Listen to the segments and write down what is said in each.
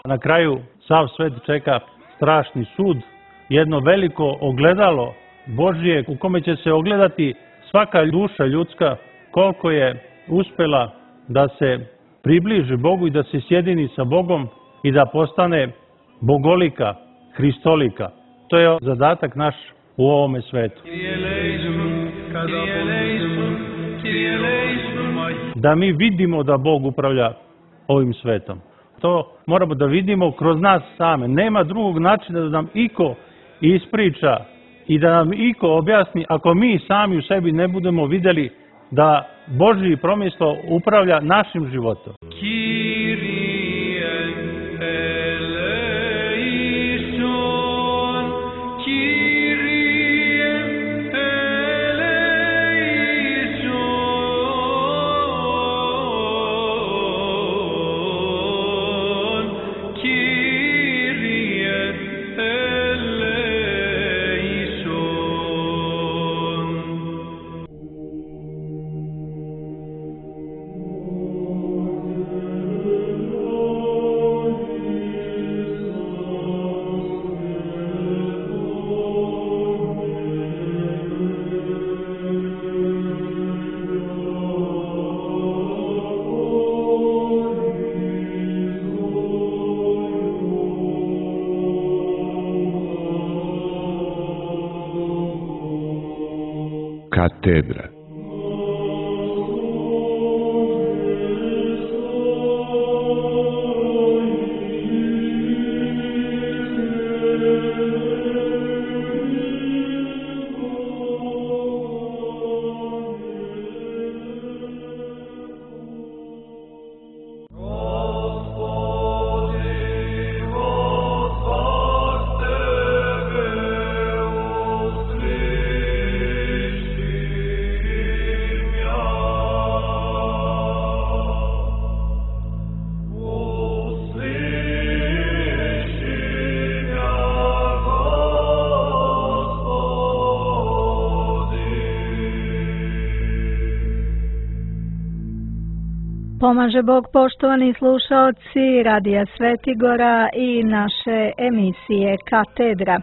Na kraju sav svet čeka strašni sud, jedno veliko ogledalo Božje u kome će se ogledati svaka duša ljudska koliko je uspela da se približi Bogu i da se sjedini sa Bogom i da postane bogolika, hristolika. To je zadatak naš u ovome svetu. Da mi vidimo da Bog upravlja ovim svetom. To moramo da vidimo kroz nas same. Nema drugog načina da nam iko ispriča i da nam iko objasni ako mi sami u sebi ne budemo vidjeli da Božji promisao upravlja našim životom. Katedra. Pomaže Bog, poštovani slušaoci Radija Svetigora i naše emisije Katedra.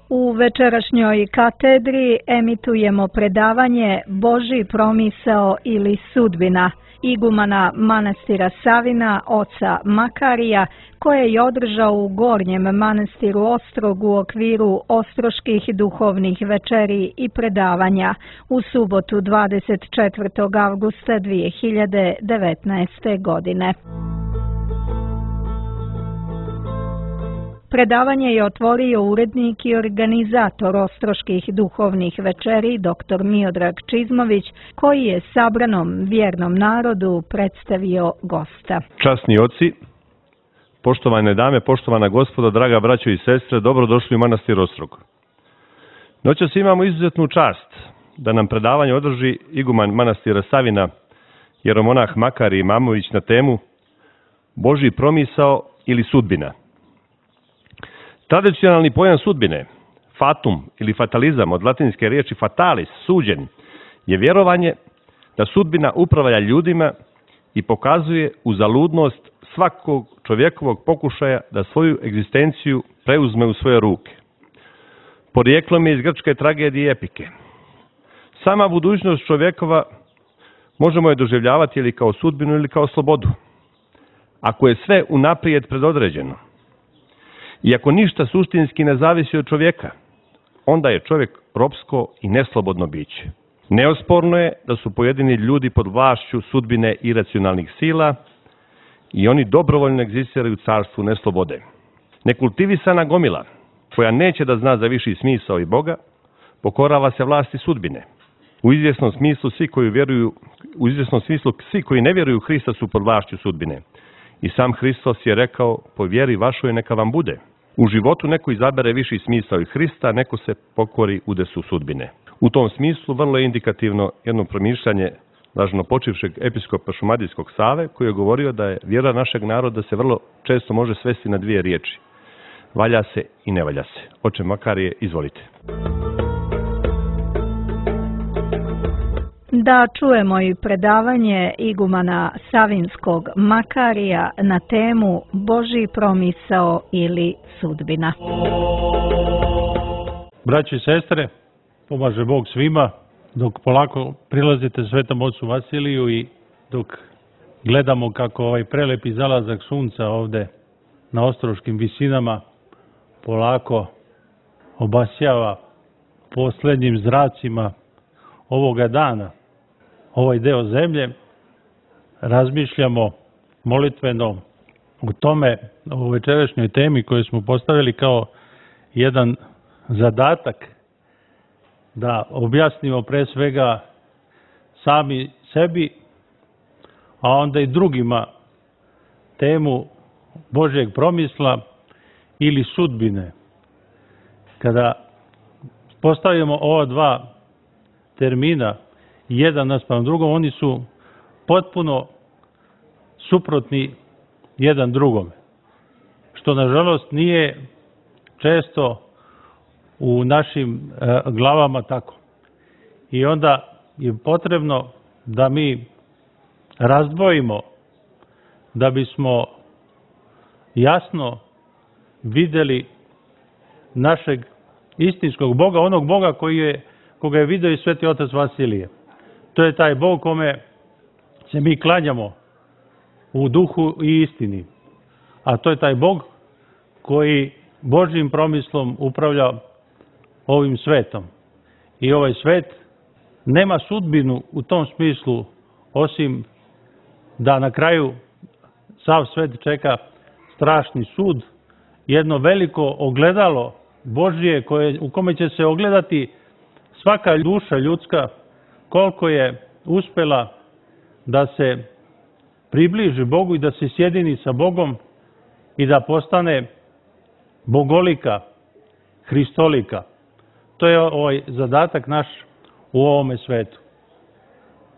U večerašnjoj katedri emitujemo predavanje Božji promisao ili sudbina igumana manastira Savina, oca Makarija, koje je održao u Gornjem manastiru Ostrog u okviru Ostroških duhovnih večeri i predavanja u subotu 24. avgusta 2019. godine. Predavanje je otvorio urednik i organizator Ostroških duhovnih večeri dr. Miodrag Čizmović, koji je sabranom vjernom narodu predstavio gosta. Časni oci, poštovane dame, poštovana gospodo, draga braćo i sestre, dobrodošli u manastir Ostrog. Noćas imamo izuzetnu čast da nam predavanje održi iguman manastira Savina, jeromonah Makarij Imamović na temu Božji promisao ili sudbina. Tradicionalni pojam sudbine, fatum ili fatalizam od latinske riječi fatalis, suđen, je vjerovanje da sudbina upravlja ljudima i pokazuje uzaludnost svakog čovjekovog pokušaja da svoju egzistenciju preuzme u svoje ruke. Porijeklom je iz grčke tragedije i epike. Sama budućnost čovjekova možemo je doživljavati ili kao sudbinu ili kao slobodu. Ako je sve unaprijed predodređeno, i ako ništa suštinski ne zavisi od čovjeka, onda je čovjek ropsko i neslobodno biće. Neosporno je da su pojedini ljudi pod vlašću sudbine iracionalnih sila i oni dobrovoljno egzistiraju u carstvu neslobode. Nekultivisana gomila, koja neće da zna za viši smisao i Boga, pokorava se vlasti sudbine. U izvjesnom smislu svi koji ne vjeruju u Hrista su pod vlašću sudbine. I sam Hristos je rekao, po vjeri vašoj neka vam bude. U životu neko izabere viši smisao i Hrista, neko se pokori udesu sudbine. U tom smislu vrlo je indikativno jedno promišljanje blaženo počivšeg episkopa Šumadijskog Save, koji je govorio da je vjera našeg naroda se vrlo često može svesti na dvije riječi. valja se i ne valja se. Oče Makarije, izvolite. Da čujemo i predavanje igumana Savinskog Makarija na temu Božji promisao ili sudbina. Braći i sestre, pomaže Bog svima dok polako prilazite Svetom ocu Vasiliju i dok gledamo kako ovaj prelepi zalazak sunca ovde na ostroškim visinama polako obasjava poslednjim zracima ovoga dana ovaj deo zemlje, razmišljamo molitveno o tome, o večerašnjoj temi koju smo postavili kao jedan zadatak da objasnimo pre svega sami sebi, a onda i drugima temu Božjeg promisla ili sudbine. Kada postavimo ova dva termina jedan naspram drugom, oni su potpuno suprotni jedan drugome, što nažalost nije često u našim glavama tako. I onda je potrebno da mi razdvojimo, da bismo jasno videli našeg istinskog Boga, onog Boga koga je video i Sveti otac Vasilije. To je taj Bog kome se mi klanjamo u duhu i istini. A to je taj Bog koji Božjim promislom upravlja ovim svetom. I ovaj svet nema sudbinu u tom smislu, osim da na kraju sav svet čeka strašni sud, jedno veliko ogledalo Božje u kome će se ogledati svaka duša ljudska, koliko je uspela da se približi Bogu i da se sjedini sa Bogom i da postane bogolika, hristolika. To je ovaj zadatak naš u ovome svetu.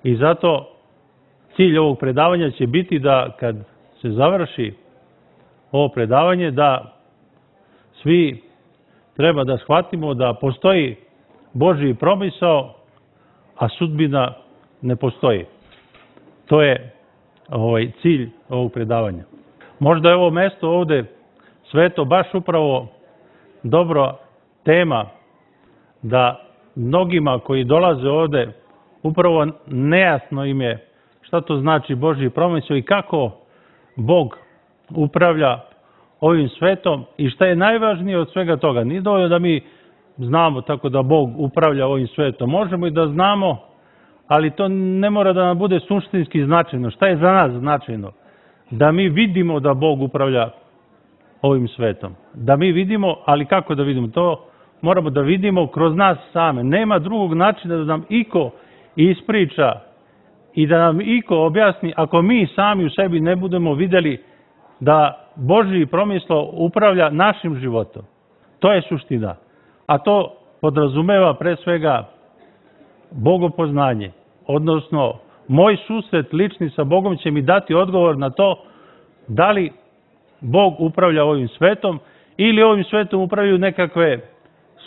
I zato cilj ovog predavanja će biti da kad se završi ovo predavanje, da svi treba da shvatimo da postoji Božji promisao, a sudbina ne postoji. To je cilj ovog predavanja. Možda je ovo mesto ovde sveto baš upravo dobro tema da mnogima koji dolaze ovde upravo nejasno im je šta to znači Božji promisao i kako Bog upravlja ovim svetom i šta je najvažnije od svega toga. Nije dovoljno da mi znamo tako da Bog upravlja ovim svetom. Možemo i da znamo, ali to ne mora da nam bude suštinski značajno. Šta je za nas značajno? Da mi vidimo da Bog upravlja ovim svetom. Da mi vidimo, ali kako da vidimo? To moramo da vidimo kroz nas same. Nema drugog načina da nam iko ispriča i da nam iko objasni ako mi sami u sebi ne budemo videli da Božji promisao upravlja našim životom. To je suština. A to podrazumeva pre svega bogopoznanje. Odnosno, moj susret lični sa Bogom će mi dati odgovor na to da li Bog upravlja ovim svetom ili ovim svetom upravljaju nekakve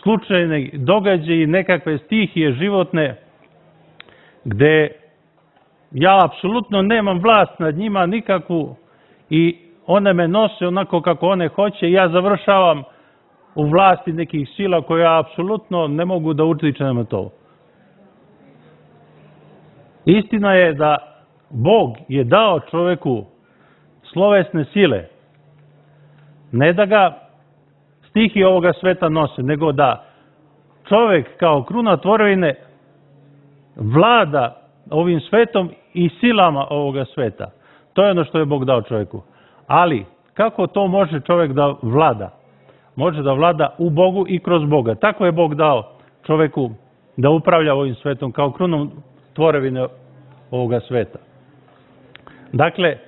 slučajne događaje i nekakve stihije životne gde ja apsolutno nemam vlast nad njima nikakvu i one me nose onako kako one hoće i ja završavam u vlasti nekih sila koje ja apsolutno ne mogu da utičem na to. Istina je da Bog je dao čoveku slovesne sile, ne da ga stihije ovoga sveta nose, nego da čovek kao kruna tvorevine vlada ovim svetom i silama ovoga sveta. To je ono što je Bog dao čoveku. Ali, kako to može čovek da vlada? Može da vlada u Bogu i kroz Boga. Tako je Bog dao čoveku da upravlja ovim svetom kao krunom tvorevine ovoga sveta. Dakle,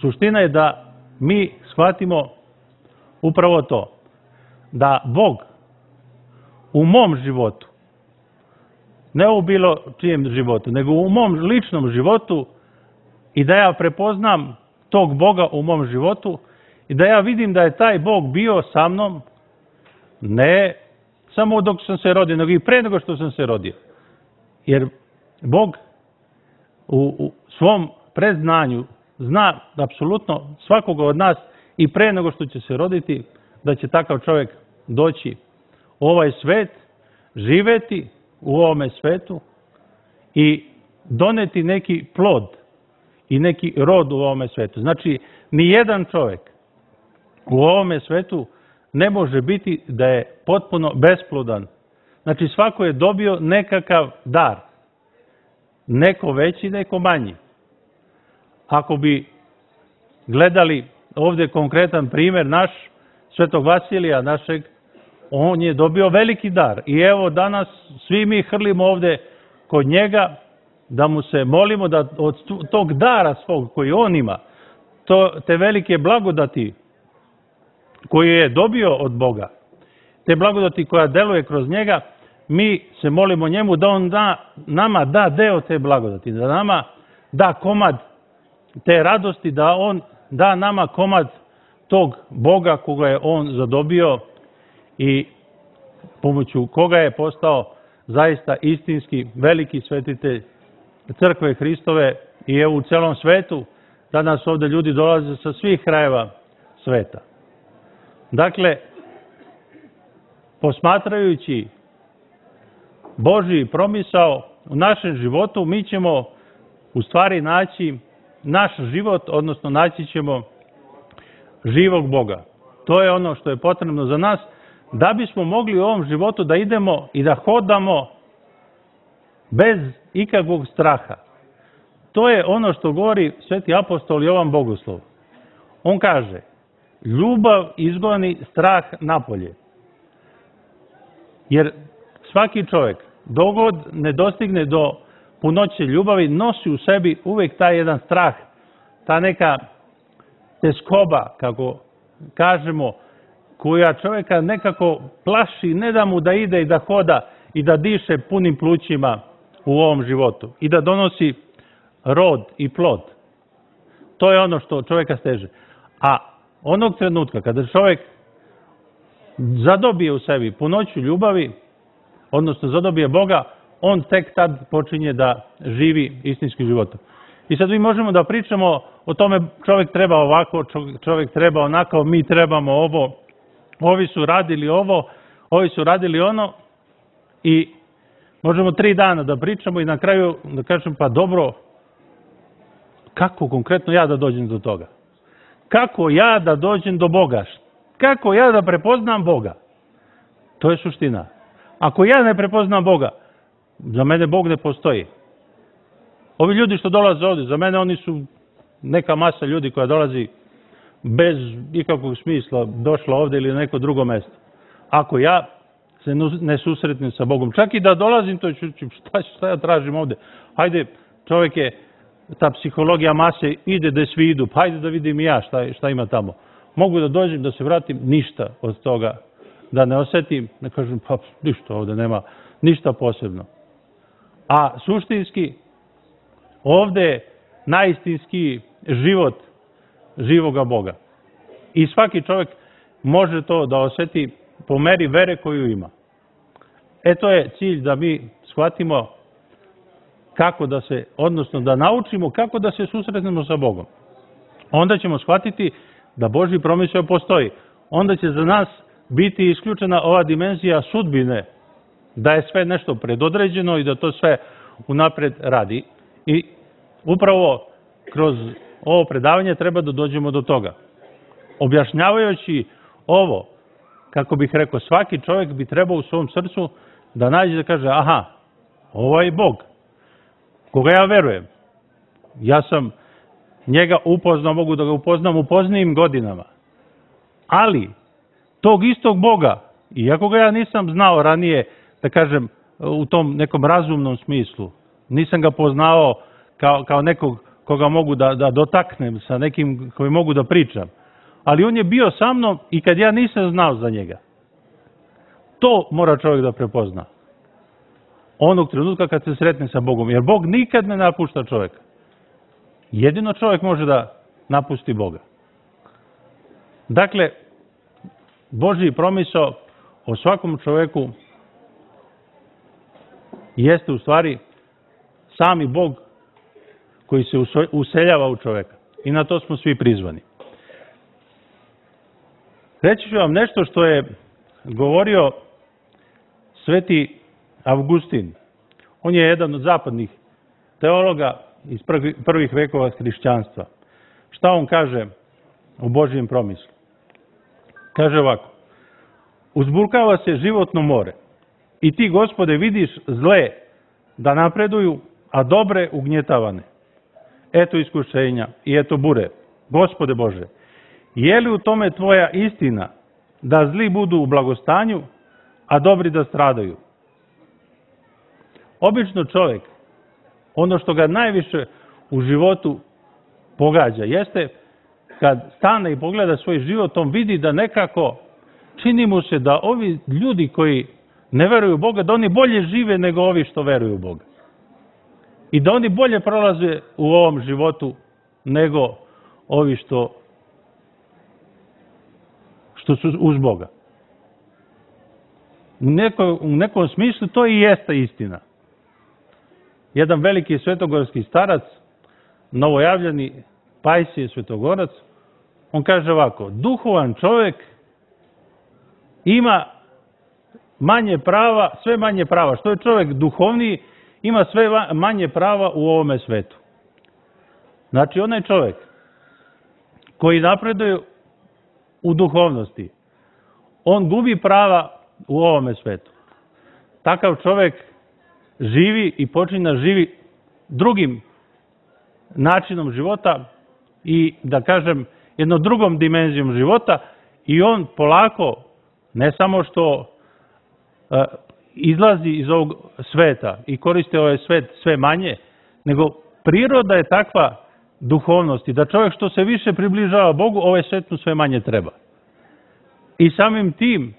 suština je da mi shvatimo upravo to. Da Bog u mom životu, ne u bilo čijem životu, nego u mom ličnom životu i da ja prepoznam tog Boga u mom životu i da ja vidim da je taj Bog bio sa mnom, ne samo dok sam se rodio, nego i pre nego što sam se rodio. Jer Bog u svom predznanju zna apsolutno svakoga od nas i pre nego što će se roditi, da će takav čovjek doći u ovaj svet, živeti u ovome svetu i doneti neki plod i neki rod u ovome svetu. Znači, ni jedan čovjek u ovome svetu ne može biti da je potpuno besplodan. Znači, svako je dobio nekakav dar. Neko veći, neko manji. Ako bi gledali ovdje konkretan primjer naš, Svetog Vasilija našeg, on je dobio veliki dar. I evo danas svi mi hrlimo ovdje kod njega da mu se molimo da od tog dara svog koji on ima, te velike blagodati koje je dobio od Boga, te blagodati koja deluje kroz njega, mi se molimo njemu da on nama da deo te blagodati, da nama da komad te radosti, da on da nama komad tog Boga koga je on zadobio i pomoću koga je postao zaista istinski veliki svetitelj crkve Hristove i evo u celom svetu. Danas ovdje ljudi dolaze sa svih krajeva sveta. Dakle, posmatrajući Božji promisao u našem životu, mi ćemo u stvari naći naš život, odnosno naći ćemo živog Boga. To je ono što je potrebno za nas, da bismo mogli u ovom životu da idemo i da hodamo bez ikakvog straha. To je ono što govori sveti apostol Jovan Bogoslov. On kaže, ljubav izgoni strah napolje. Jer svaki čovjek, dok god ne dostigne do punoće ljubavi, nosi u sebi uvijek taj jedan strah, ta neka teskoba, kako kažemo, koja čovjeka nekako plaši, ne da mu da ide i da hoda i da diše punim plućima u ovom životu i da donosi rod i plod. To je ono što čovjeka steže. A onog trenutka kada čovjek zadobije u sebi punoću ljubavi, odnosno zadobije Boga, on tek tad počinje da živi istinskim životom. I sad mi možemo da pričamo o tome čovjek treba ovako, čovjek treba onako, mi trebamo ovo, ovi su radili ovo, ovi su radili ono i možemo 3 dana da pričamo i na kraju da kažem pa dobro, kako konkretno ja da dođem do toga? Kako ja da dođem do Boga? Kako ja da prepoznam Boga? To je suština. Ako ja ne prepoznam Boga, za mene Bog ne postoji. Ovi ljudi što dolaze ovdje, za mene oni su neka masa ljudi koja dolazi bez ikakvog smisla, došla ovdje ili na neko drugo mjesto. Ako ja se ne susretnem sa Bogom, čak i da dolazim, to ću, šta ja tražim ovdje? Hajde, čovjek je, ta psihologija mase ide da svi idu, pa hajde da vidim i ja šta ima tamo. Mogu da dođem, da se vratim, ništa od toga, da ne osjetim, ne kažem, pa ništa ovdje nema, ništa posebno. A suštinski, ovdje je najistinski život živoga Boga. I svaki čovjek može to da osjeti po meri vere koju ima. To je cilj da mi shvatimo kako da se, odnosno da naučimo kako da se susretnemo sa Bogom. Onda ćemo shvatiti da Božji promisao postoji. Onda će za nas biti isključena ova dimenzija sudbine, da je sve nešto predodređeno i da to sve unapred radi. I upravo kroz ovo predavanje treba da dođemo do toga. Objašnjavajući ovo, kako bih rekao, svaki čovjek bi trebao u svom srcu da nađe da kaže, aha, ovo je Bog, koga ja verujem. Ja sam njega upoznao, mogu da ga upoznam u poznijim godinama. Ali, tog istog Boga, iako ga ja nisam znao ranije, da kažem, u tom nekom razumnom smislu, nisam ga poznao kao nekog koga mogu da dotaknem, sa nekim koji mogu da pričam. Ali on je bio sa mnom i kad ja nisam znao za njega. To mora čovjek da prepozna. Onog trenutka kad se sretne sa Bogom. Jer Bog nikad ne napušta čovjeka. Jedino čovjek može da napusti Boga. Dakle, Božji promisao o svakom čoveku jeste u stvari sami Bog koji se useljava u čoveka. I na to smo svi prizvani. Reći ću vam nešto što je govorio sveti Avgustin. On je jedan od zapadnih teologa iz prvih vekova hrišćanstva. Šta on kaže o Božjem promislu? Kaže ovako: uzburkava se životno more i ti, Gospode, vidiš zle da napreduju, a dobre ugnjetavane. Eto iskušenja i eto bure. Gospode Bože, je li u tome tvoja istina da zli budu u blagostanju, a dobri da stradaju? Obično čovjek, ono što ga najviše u životu pogađa, jeste kad stane i pogleda svoj život, on vidi da nekako čini mu se da ovi ljudi koji ne veruju u Boga, da oni bolje žive nego ovi što veruju u Boga. I da oni bolje prolaze u ovom životu nego ovi što su uz Boga. U nekom smislu to i jeste istina. Jedan veliki svetogorski starac, novojavljeni Pajsije Svetogorac, on kaže ovako: duhovan čovjek ima manje prava, sve manje prava. Što je čovjek duhovniji, ima sve manje prava u ovome svetu. Znači, onaj čovjek koji napreduje u duhovnosti, on gubi prava u ovome svetu. Takav čovjek živi i počinje živi drugim načinom života i, da kažem, jednom drugom dimenzijom života, i on polako, ne samo što izlazi iz ovog sveta i koristi ovaj svet sve manje, nego priroda je takva duhovnosti da čovjek što se više približava Bogu, ovaj svet mu sve manje treba. I samim tim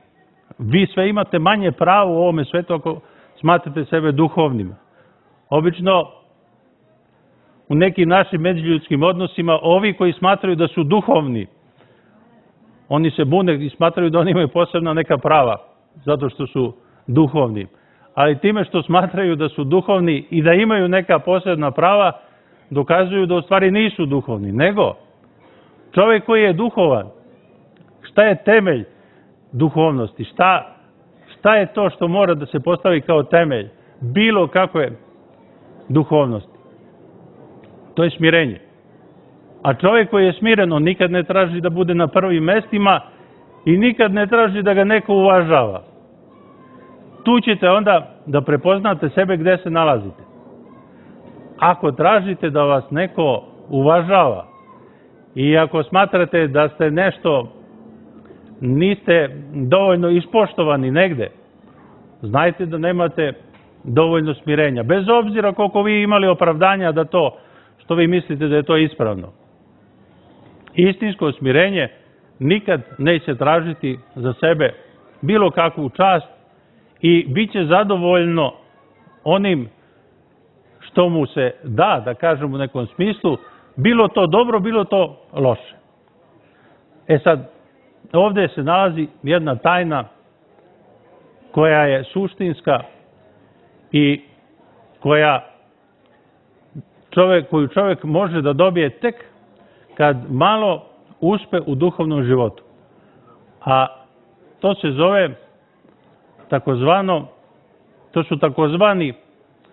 vi sve imate manje pravo u ovome svetu ako smatrate sebe duhovnim. Obično u nekim našim međuljudskim odnosima ovi koji smatraju da su duhovni, oni se bune i smatraju da oni imaju posebna neka prava zato što su duhovni. Ali time što smatraju da su duhovni i da imaju neka posebna prava, dokazuju da u stvari nisu duhovni. Nego, čovjek koji je duhovan, šta je temelj duhovnosti? Šta je to što mora da se postavi kao temelj bilo kakve duhovnosti? To je smirenje. A čovjek koji je smiren, on nikad ne traži da bude na prvim mestima i nikad ne traži da ga neko uvažava. Tu ćete onda da prepoznate sebe gde se nalazite. Ako tražite da vas neko uvažava i ako smatrate da ste nešto, niste dovoljno ispoštovani negde, znajte da nemate dovoljno smirenja. Bez obzira koliko vi imali opravdanja da to što vi mislite da je to ispravno. Istinsko smirenje nikad neće tražiti za sebe bilo kakvu čast i bit će zadovoljno onim što mu se da, da kažem u nekom smislu, bilo to dobro, bilo to loše. E sad, ovdje se nalazi jedna tajna koja je suštinska i koju čovjek može da dobije tek kad malo uspe u duhovnom životu. A to se zove to su takozvani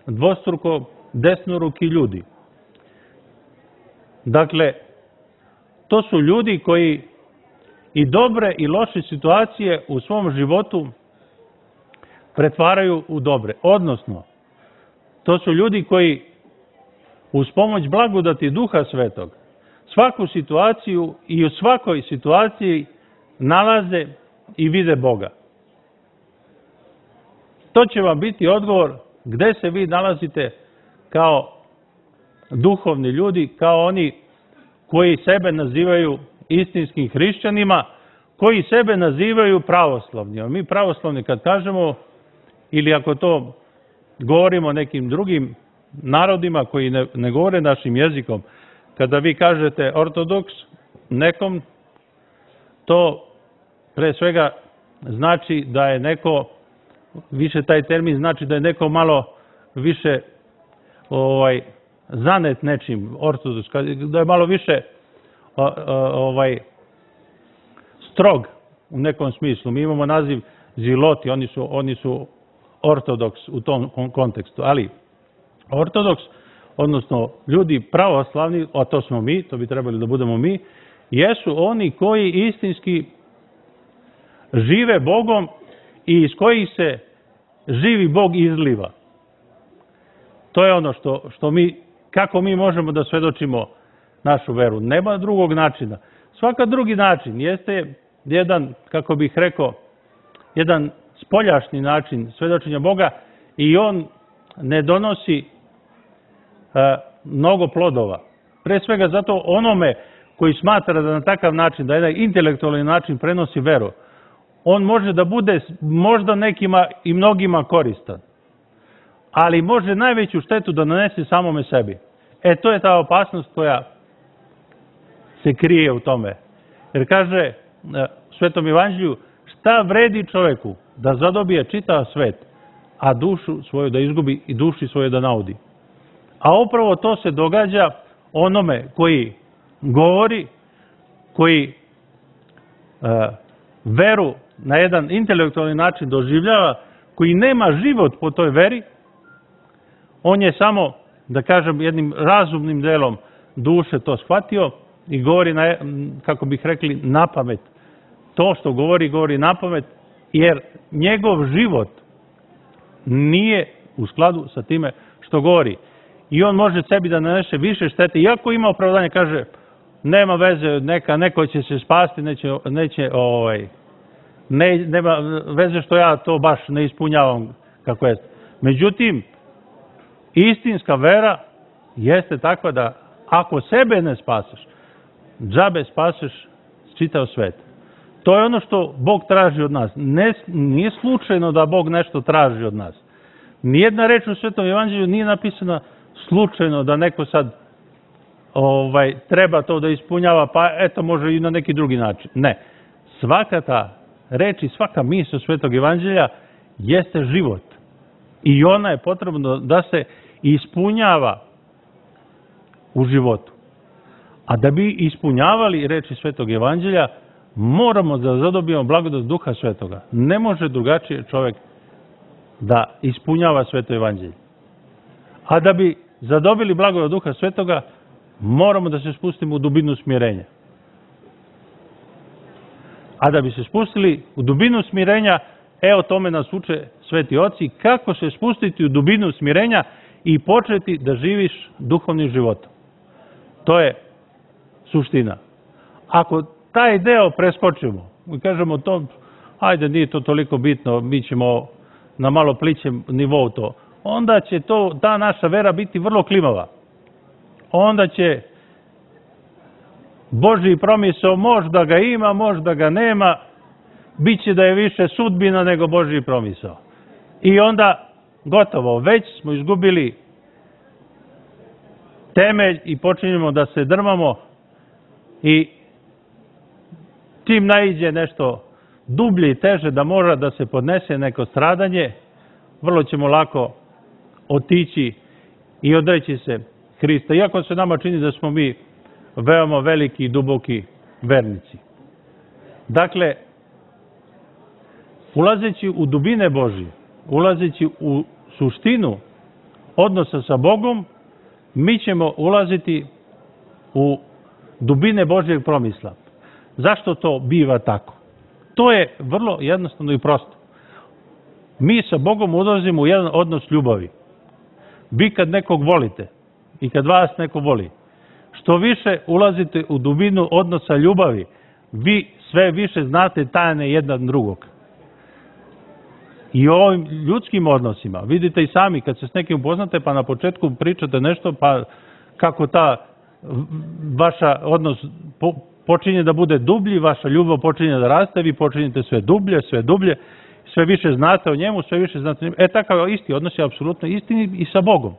dvostruko desnoruki ljudi. Dakle, to su ljudi koji i dobre i loše situacije u svom životu pretvaraju u dobre. Odnosno, to su ljudi koji uz pomoć blagodati Duha Svetog svaku situaciju i u svakoj situaciji nalaze i vide Boga. To će vam biti odgovor gde se vi nalazite kao duhovni ljudi, kao oni koji sebe nazivaju istinskim hrišćanima, koji sebe nazivaju pravoslavni. Mi pravoslavni kad kažemo, ili ako to govorimo nekim drugim narodima koji ne govore našim jezikom, kada vi kažete ortodoks nekom, to pre svega znači da je neko, više taj termin znači da je neko malo više zanet nečim, ortodoks, da je malo više strog u nekom smislu. Mi imamo naziv ziloti, oni su ortodoks u tom kontekstu, ali ortodoks, odnosno ljudi pravoslavni, a to smo mi, to bi trebali da budemo mi, jesu oni koji istinski žive Bogom i iz kojih se živi Bog izliva. To je ono što mi, kako mi možemo da svedočimo našu veru. Nema drugog načina. Svaka drugi način jeste jedan, kako bih rekao, jedan spoljašnji način svedočenja Boga i on ne donosi mnogo plodova. Pre svega zato onome koji smatra da na takav način, da jedan intelektualni način prenosi veru, on može da bude možda nekima i mnogima koristan, ali može najveću štetu da nanese samome sebi. To je ta opasnost koja se krije u tome. Jer kaže u Svetom Evanđelju, šta vredi čoveku da zadobije čitav svet, a dušu svoju da izgubi i duši svoju da naudi. A upravo to se događa onome koji govori, koji veru na jedan intelektualni način doživljava, koji nema život po toj veri, on je samo, da kažem, jednim razumnim delom duše to shvatio i govori, kako bih rekli, na pamet. To što govori na pamet, jer njegov život nije u skladu sa time što govori. I on može sebi da nanese više štete, iako ima opravdanje, kaže, nema veze, neko će se spasti, nema veze što ja to baš ne ispunjavam kako je. Međutim, istinska vera jeste takva da ako sebe ne spasiš, džabe spasiš čitav svet. To je ono što Bog traži od nas. Nije slučajno da Bog nešto traži od nas. Nijedna reč u Svetom Evanđelju nije napisana slučajno da neko sad treba to da ispunjava, pa eto može i na neki drugi način. Ne. Svaka ta reč i svaka misao Svetog Evanđelja jeste život. I ona je potrebno da se ispunjava u životu. A da bi ispunjavali reči Svetog Evanđelja, moramo da zadobijemo blagodat Duha Svetoga. Ne može drugačije čovjek da ispunjava Sveto Evanđelje. A da bi zadobili blagodat Duha Svetoga, moramo da se spustimo u dubinu smirenja. A da bi se spustili u dubinu smirenja, o tome nas uče sveti oci, kako se spustiti u dubinu smirenja i početi da živiš duhovnim životom. To je suština. Ako taj deo preskočimo i kažemo to, ajde, nije to toliko bitno, mi ćemo na malo plićem nivou to, onda će ta naša vera biti vrlo klimava. Onda će Božji promisao možda ga ima, možda ga nema, bit će da je više sudbina nego Božji promisao. I onda gotovo, već smo izgubili temelj i počinjemo da se drmamo i čim naiđe nešto dublje i teže da mora da se podnese neko stradanje, vrlo ćemo lako otići i odreći se Hrista. Iako se nama čini da smo mi veoma veliki i duboki vernici. Dakle, ulazeći u dubine Božje, ulazeći u suštinu odnosa sa Bogom, mi ćemo ulaziti u dubine Božjeg promisla. Zašto to biva tako? To je vrlo jednostavno i prosto. Mi sa Bogom ulazimo u jedan odnos ljubavi. Vi kad nekog volite i kad vas neko voli, što više ulazite u dubinu odnosa ljubavi, vi sve više znate tajne jedan drugog. I o ovim ljudskim odnosima, vidite i sami, kad se s nekim upoznate, pa na početku pričate nešto, pa kako ta vaša odnos počinje da bude dublji, vaša ljubav počinje da raste, vi počinjete sve dublje, sve više znate o njemu, sve više znate o njemu. Takav isti odnos je apsolutno isti i sa Bogom.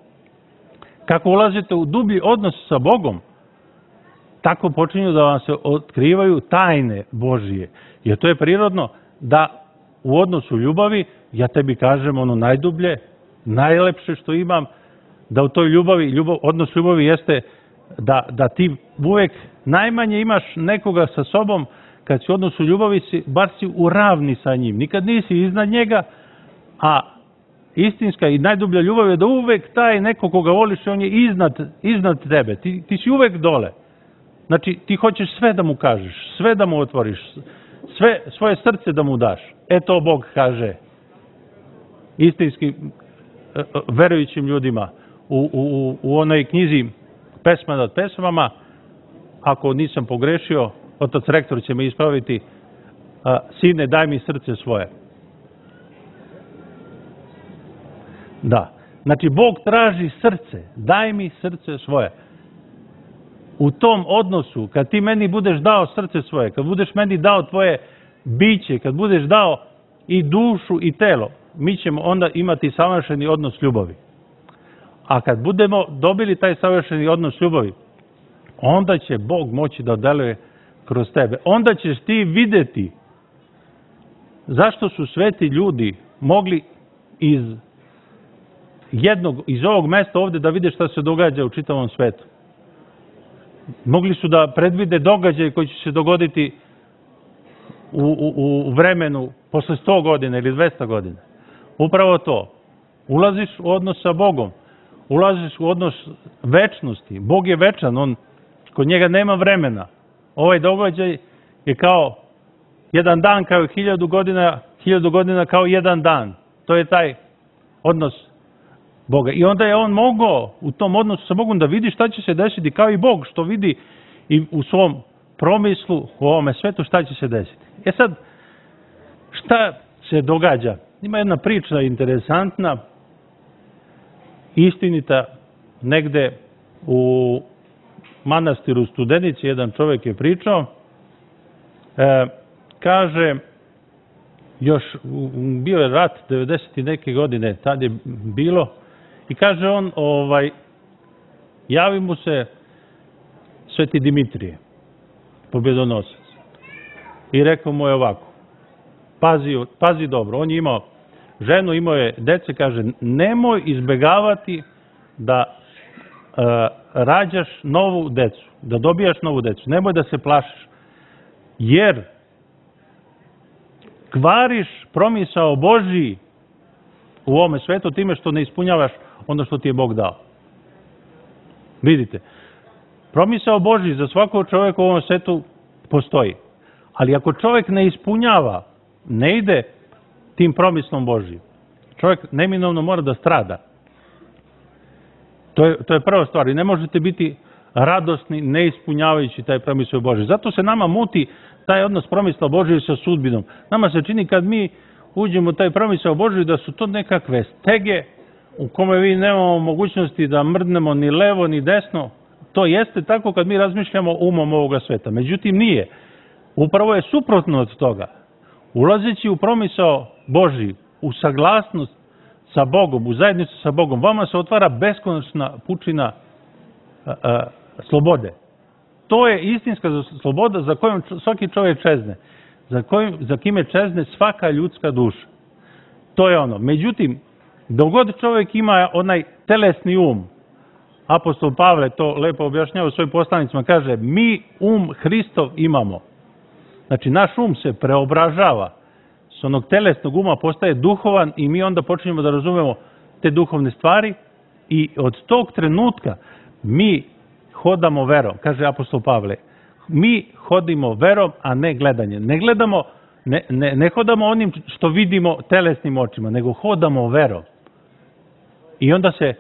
Kako ulazite u dublji odnos sa Bogom, tako počinju da vam se otkrivaju tajne Božije. Jer to je prirodno da u odnosu ljubavi, ja tebi kažem ono najdublje, najlepše što imam, da u toj ljubavi, odnos ljubavi jeste da ti uvek najmanje imaš nekoga sa sobom, kad si u odnosu ljubavi, bar si u ravni sa njim. Nikad nisi iznad njega, a istinska i najdublja ljubav je da uvek taj neko koga voliš, on je iznad tebe. Ti si uvek dole. Znači, ti hoćeš sve da mu kažeš, sve da mu otvoriš, sve svoje srce da mu daš. To Bog kaže istinski verujućim ljudima u onoj knjizi Pesma nad pesmama. Ako nisam pogrešio, otac rektor će me ispraviti, sine, daj mi srce svoje. Da. Znači, Bog traži srce. Daj mi srce svoje. U tom odnosu, kad ti meni budeš dao srce svoje, kad budeš meni dao tvoje biće, kad budeš dao i dušu i telo, mi ćemo onda imati savršeni odnos ljubavi. A kad budemo dobili taj savršeni odnos ljubavi, onda će Bog moći da deluje kroz tebe. Onda ćeš ti videti zašto su sveti ljudi mogli iz ovog mesta ovde da vide šta se događa u čitavom svetu. Mogli su da predvide događaje koji će se dogoditi u vremenu posle 100 godina ili 200 godina. Upravo to. Ulaziš u odnos sa Bogom. Ulaziš u odnos večnosti. Bog je večan, kod njega nema vremena. Ovaj događaj je kao jedan dan, kao 1000 godina, 1000 godina kao jedan dan. To je taj odnos Boga. I onda je on mogao u tom odnosu sa Bogom da vidi šta će se desiti, kao i Bog što vidi i u svom promislu u ovome svetu šta će se desiti. Sad, šta se događa? Ima jedna priča interesantna, istinita, negde u manastiru Studenici, jedan čovjek je pričao, kaže, još bio je rat 90. neke godine, tad je bilo, i kaže on, javi mu se Sveti Dimitrije, pobjedonosac. I rekao mu je ovako, pazi dobro, on je imao ženu, imao je dece, kaže, nemoj izbegavati da rađaš novu decu, da dobijaš novu decu, nemoj da se plašiš, jer kvariš promisao Božiji u ovome svetu time što ne ispunjavaš ono što ti je Bog dao. Vidite, promisao Božiji za svakog čovjeka u ovom svetu postoji. Ali ako čovjek ne ispunjava, ne ide tim promislom Božijim, čovjek neminovno mora da strada. To je prva stvar. I ne možete biti radosni ne ispunjavajući taj promisao Božiji. Zato se nama muti taj odnos promisla Božije sa sudbinom. Nama se čini kad mi uđemo u taj promisao Božiji da su to nekakve stege u kome vi nemamo mogućnosti da mrdnemo ni levo ni desno. To jeste tako kad mi razmišljamo umom ovoga sveta. Međutim, nije. Upravo je suprotno od toga. Ulazeći u promisao Božiji, u saglasnost sa Bogom, u zajednicu sa Bogom, vama se otvara beskonačna pučina slobode. To je istinska sloboda za kojom svaki čovjek čezne, za kime čezne svaka ljudska duša. To je ono. Međutim, dok god čovjek ima onaj telesni um, apostol Pavle to lepo objašnjava u svojim poslanicima, kaže, mi Hristov imamo. Znači, naš um se preobražava. S onog telesnog uma postaje duhovan i mi onda počinjemo da razumemo te duhovne stvari i od tog trenutka mi hodamo verom, kaže apostol Pavle. Mi hodimo verom, a ne gledanjem. Ne hodamo onim što vidimo telesnim očima, nego hodamo verom. I onda se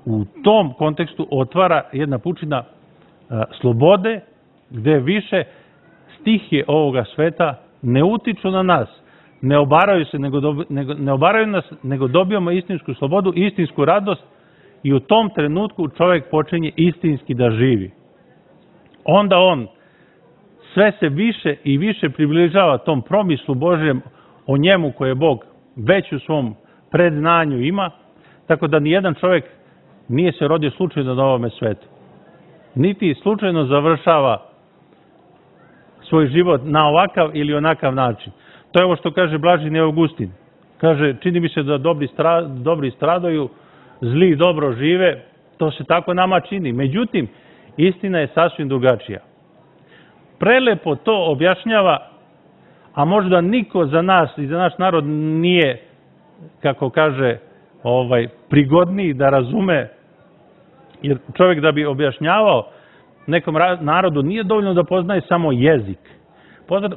u tom kontekstu otvara jedna pučina slobode, gde više stihije ovoga sveta ne utiču na nas, ne obaraju se, ne obaraju nas, nego dobijamo istinsku slobodu, istinsku radost i u tom trenutku čovjek počinje istinski da živi. Onda on sve se više i više približava tom promislu Božjem o njemu koje Bog već u svom predznanju ima, tako da nijedan čovjek nije se rodio slučajno na ovome svetu. niti slučajno završava svoj život na ovakav ili onakav način. To je ovo što kaže Blaženi Augustin. Kaže, čini mi se da dobri stradaju, zli dobro žive, to se tako nama čini. Međutim, istina je sasvim drugačija. Prelepo to objašnjava, a možda niko za nas i za naš narod nije, kako kaže, prigodniji da razume, jer čovjek da bi objašnjavao nekom narodu nije dovoljno da poznaje samo jezik.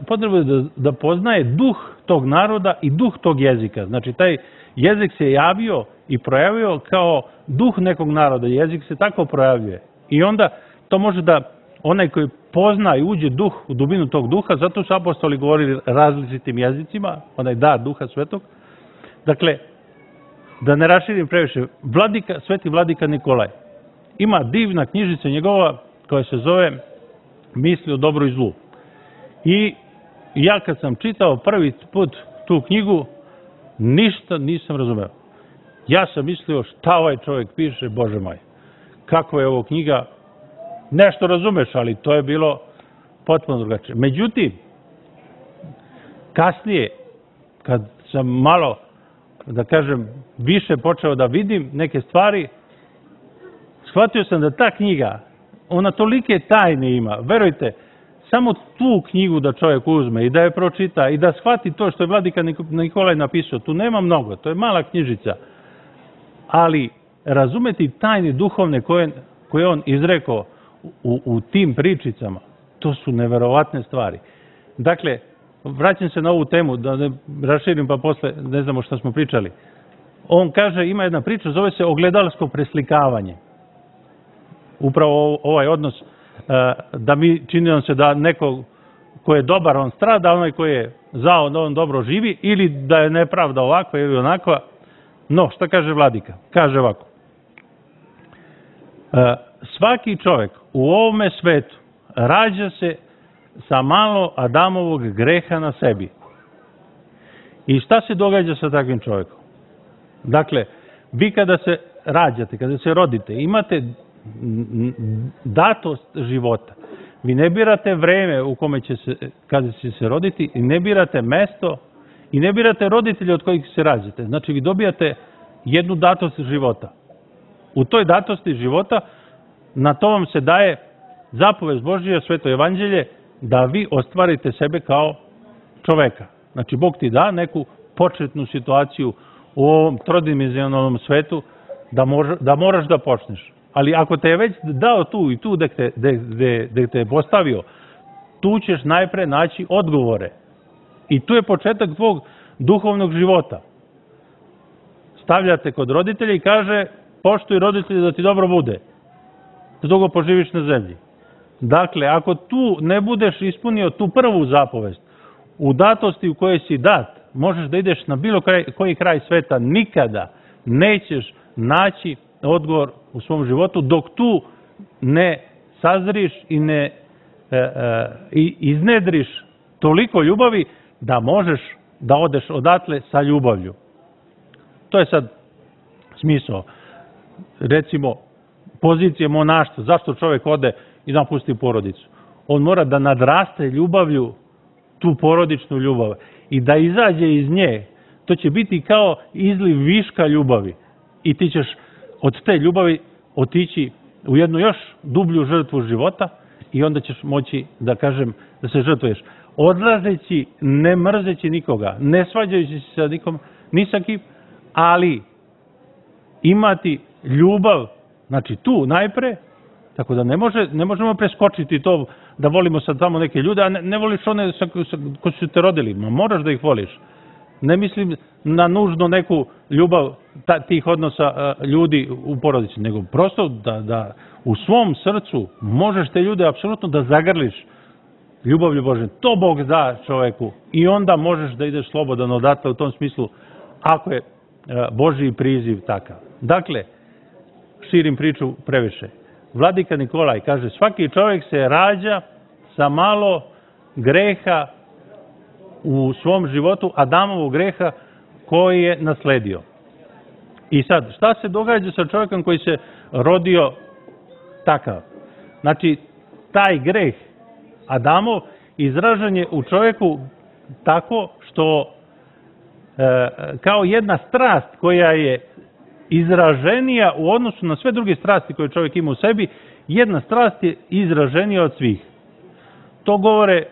Potrebno je da poznaje duh tog naroda i duh tog jezika. Znači, taj jezik se javio i projavio kao duh nekog naroda. Jezik se tako projavljuje. I onda to može da onaj koji pozna i uđe u dubinu tog duha, zato su apostoli govorili različitim jezicima, onaj dar duha svetog. Dakle, da ne raširim previše, sveti vladika Nikolaj ima divna knjižica njegova koja se zove Misli o dobru i zlu. I ja kad sam čitao prvi put tu knjigu, ništa nisam razumeo. Ja sam mislio šta ovaj čovjek piše, Bože moj, kako je ovo knjiga, nešto razumeš, ali to je bilo potpuno drugačije. Međutim, kasnije, kad sam malo, da kažem, više počeo da vidim neke stvari, shvatio sam da ta knjiga, ona tolike tajne ima, verujte, samo tu knjigu da čovjek uzme i da je pročita i da shvati to što je vladika Nikolaj napisao, tu nema mnogo, to je mala knjižica, ali razumeti tajne duhovne koje on izrekao u tim pričicama, to su neverovatne stvari. Dakle, vraćam se na ovu temu, da ne raširim pa posle ne znamo šta smo pričali. On kaže, ima jedna priča, zove se ogledalsko preslikavanje. Upravo ovaj odnos da mi čini nam se da neko ko je dobar on strada, onaj ko je zao da on dobro živi, ili da je nepravda ovakva ili onakva. No, šta kaže vladika? Kaže ovako. Svaki čovjek u ovome svetu rađa se sa malo Adamovog greha na sebi. I šta se događa sa takvim čovjekom? Dakle, vi kada se rađate, kada se rodite, imate datost života. Vi ne birate vreme u kome kada će se roditi, i ne birate mesto, i ne birate roditelje od kojih se rađate. Znači, vi dobijate jednu datost života. U toj datosti života, na to vam se daje zapovest Božija, sveto evanđelje, da vi ostvarite sebe kao čoveka. Znači, Bog ti da neku početnu situaciju u ovom trodimenzionalnom svetu da moraš da počneš. Ali ako te je već dao tu i tu gde te je postavio, tu ćeš najpre naći odgovore. I tu je početak tvog duhovnog života. Stavljate kod roditelja i kaže, poštuj roditelje da ti dobro bude, da dugo poživiš na zemlji. Dakle, ako tu ne budeš ispunio tu prvu zapovest, u datosti u kojoj si dat, možeš da ideš na bilo koji kraj sveta, nikada nećeš naći odgovor u svom životu, dok tu ne sazriš i ne iznedriš toliko ljubavi da možeš da odeš odatle sa ljubavlju. To je sad smisao. Recimo, pozicije monaštva, zašto čovjek ode i napusti porodicu? On mora da nadraste ljubavlju, tu porodičnu ljubav, i da izađe iz nje. To će biti kao izliv viška ljubavi. I ti ćeš od te ljubavi otići u jednu još dublju žrtvu života i onda ćeš moći, da kažem, da se žrtvuješ. Odlazeći, ne mrzeći nikoga, ne svađajući se sa nikom, ni sa kim, ali imati ljubav, znači tu najpre, tako da ne možemo preskočiti to da volimo sad tamo neke ljude, a ne voliš one koji su te rodili, ma moraš da ih voliš. Ne mislim na nužno neku ljubav tih odnosa ljudi u porodici, nego prosto da u svom srcu možeš te ljude apsolutno da zagrliš ljubavlju Božje. To Bog da čoveku i onda možeš da ideš slobodan odatle u tom smislu, ako je Božji priziv takav. Dakle, širim priču previše. Vladika Nikolaj kaže, svaki čovjek se rađa sa malo greha u svom životu, Adamovog greha koji je nasledio. I sad, šta se događa sa čovjekom koji se rodio takav? Znači, taj greh Adamov izražen je u čovjeku tako što kao jedna strast koja je izraženija u odnosu na sve druge strasti koje čovjek ima u sebi, jedna strast je izraženija od svih. To govore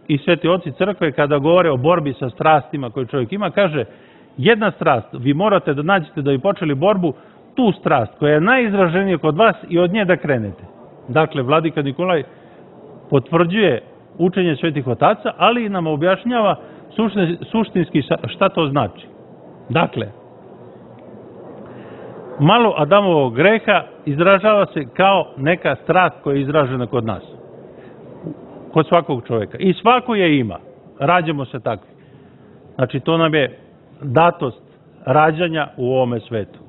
i sveti oci crkve kada govore o borbi sa strastima koje čovjek ima, kaže jedna strast, vi morate da nađete da bi počeli borbu, tu strast koja je najizraženija kod vas i od nje da krenete. Dakle, vladika Nikolaj potvrđuje učenje svetih otaca, ali i nam objašnjava suštinski šta to znači. Dakle, malo Adamovog greha izražava se kao neka strast koja je izražena kod nas. Kod svakog čovjeka. I svako je ima. Rađamo se takvi. Znači, to nam je datost rađanja u ovome svetu.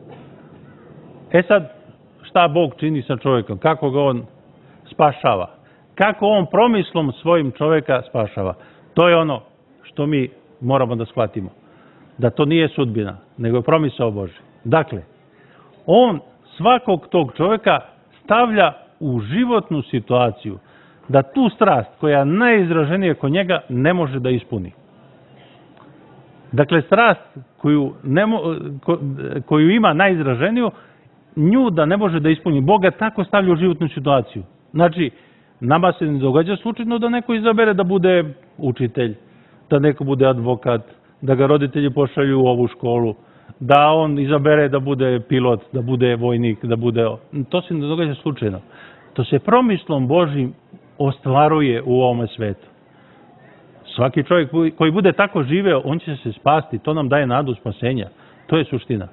E sad, šta Bog čini sa čovjekom? Kako ga on spašava? Kako on promislom svojim čovjeka spašava? To je ono što mi moramo da shvatimo. Da to nije sudbina, nego je promisao Božji. Dakle, on svakog tog čovjeka stavlja u životnu situaciju da tu strast koja je najizraženija kod njega ne može da ispuni. Dakle, strast koju ima najizraženiju, nju da ne može da ispuni. Bog ga tako stavlja u životnu situaciju. Znači, nama se ne događa slučajno da neko izabere da bude učitelj, da neko bude advokat, da ga roditelji pošalju u ovu školu, da on izabere da bude pilot, da bude vojnik, da bude... To se ne događa slučajno. To se promislom Božjim ostvaruje u ovome svetu. Svaki čovjek koji bude tako živeo, on će se spasti. To nam daje nadu spasenja. To je suština.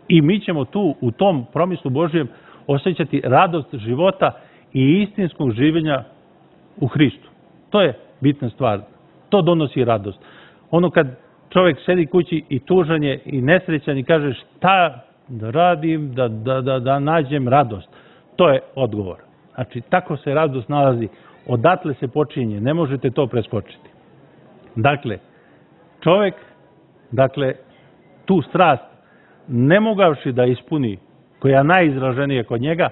I mi ćemo tu, u tom promislu Božjem, osjećati radost života i istinskog življenja u Hristu. To je bitna stvar. To donosi radost. Ono kad čovjek sedi kući i tužan je i nesrećan i kaže šta da radim da nađem radost. To je odgovor. Znači, tako se radost nalazi. Odatle se počinje. Ne možete to preskočiti. Dakle, čovjek, tu strast ne mogavši da ispuni, koja je najizraženija kod njega,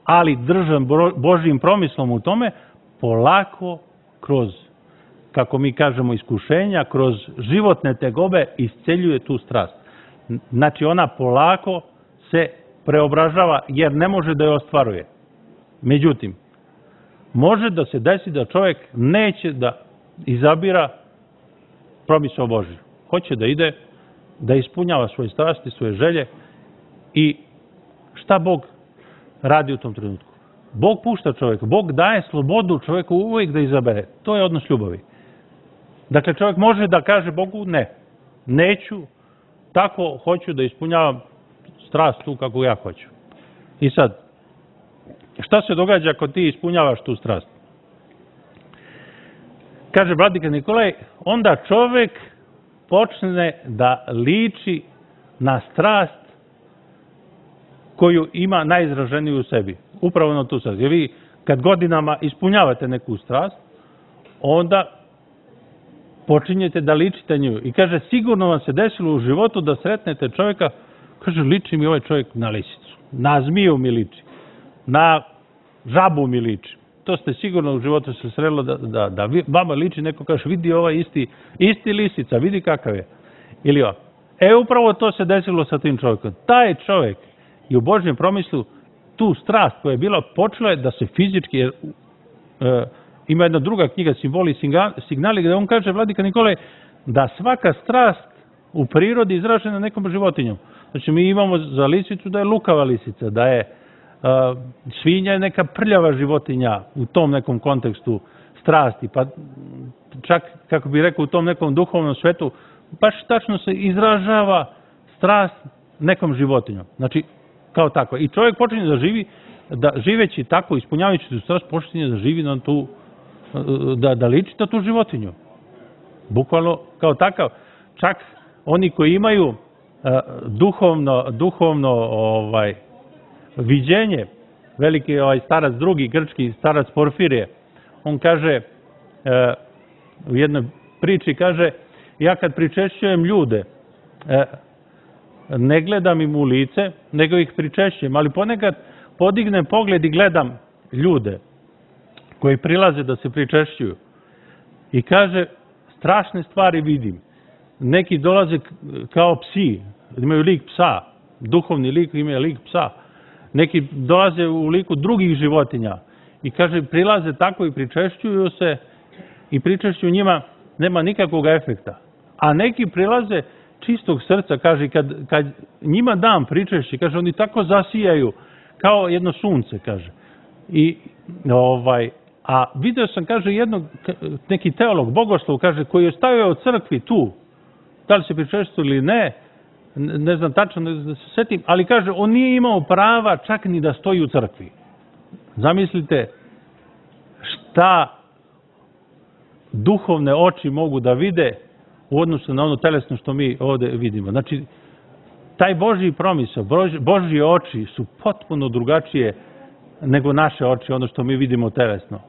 ali držan Božjim promislom u tome, polako kroz, kako mi kažemo, iskušenja, kroz životne tegobe isceljuje tu strast. Znači, ona polako se preobražava jer ne može da je ostvaruje. Međutim, može da se desi da čovjek neće da izabira promisao Božji. Hoće da ide, da ispunjava svoje strasti, svoje želje i šta Bog radi u tom trenutku? Bog pušta čovjeka, Bog daje slobodu čovjeku uvijek da izabere. To je odnos ljubavi. Dakle, čovjek može da kaže Bogu ne, neću, tako hoću da ispunjavam strast tu kako ja hoću. I sad, šta se događa ako ti ispunjavaš tu strast? Kaže vladika Nikolaj, onda čovjek počne da liči na strast koju ima najizraženiju u sebi. Upravo na tu strast. Jer vi kad godinama ispunjavate neku strast, onda počinjete da ličite nju. I kaže, sigurno vam se desilo u životu da sretnete čovjeka, kaže, liči mi ovaj čovjek na lisicu, na zmiju mi liči, na žabu mi liči. To ste sigurno u životu se srelo da vama liči, neko kaže, vidi ovaj isti lisica, vidi kakav je. Ili ovo. Upravo to se desilo sa tim čovjekom. Taj čovjek je u Božjem promislu tu strast koja je bila počela je da se fizički, jer ima jedna druga knjiga, Simboli i signali, gdje on kaže, vladika Nikolaj, da svaka strast u prirodi izražena nekom životinjom. Znači, mi imamo za lisicu da je lukava lisica, da je svinja je neka prljava životinja u tom nekom kontekstu strasti, pa čak, kako bih rekao, u tom nekom duhovnom svetu, baš tačno se izražava strast nekom životinjom. Znači, kao tako. I čovjek počinje da živi, da živeći tako, ispunjavajući tu strast, počinje da živi na tu, da liči na tu životinju. Bukvalno kao takav. Čak oni koji imaju duhovno viđenje, veliki starac drugi, grčki starac Porfirije, on kaže, u jednoj priči kaže, ja kad pričešćujem ljude, ne gledam im u lice, nego ih pričešćujem, ali ponekad podignem pogled i gledam ljude. koji prilaze da se pričešćuju. I kaže, strašne stvari vidim. Neki dolaze kao psi, imaju lik psa, duhovni lik imaju lik psa. Neki dolaze u liku drugih životinja. I kaže, prilaze tako i pričešćuju se i pričešću njima nema nikakvog efekta. A neki prilaze čistog srca, kaže, kad njima dam pričešće, kaže, oni tako zasijaju kao jedno sunce, kaže. A video sam, kaže, neki teolog, bogoslov, kaže, koji je stavio u crkvi tu, da li se pričešćuju ili ne znam tačno da se setim, ali kaže, on nije imao prava čak ni da stoji u crkvi. Zamislite šta duhovne oči mogu da vide u odnosu na ono telesno što mi ovde vidimo. Znači, taj Božji promisao, Božji oči su potpuno drugačije nego naše oči, ono što mi vidimo telesno.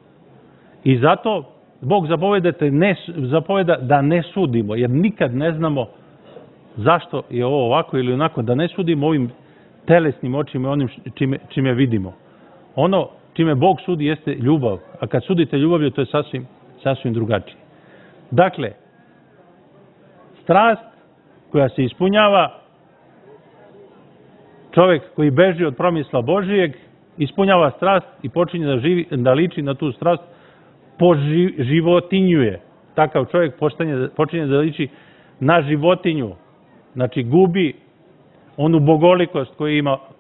I zato Bog zapoveda da ne sudimo, jer nikad ne znamo zašto je ovo ovako ili onako, da ne sudimo ovim telesnim očima i onim čime vidimo. Ono čime Bog sudi jeste ljubav, a kad sudite ljubavlju, to je sasvim drugačije. Dakle, strast koja se ispunjava, čovjek koji beži od promisla Božijeg, ispunjava strast i počinje da liči na tu strast, poživotinjuje. Takav čovjek počinje da liči na životinju. Znači, gubi onu bogolikost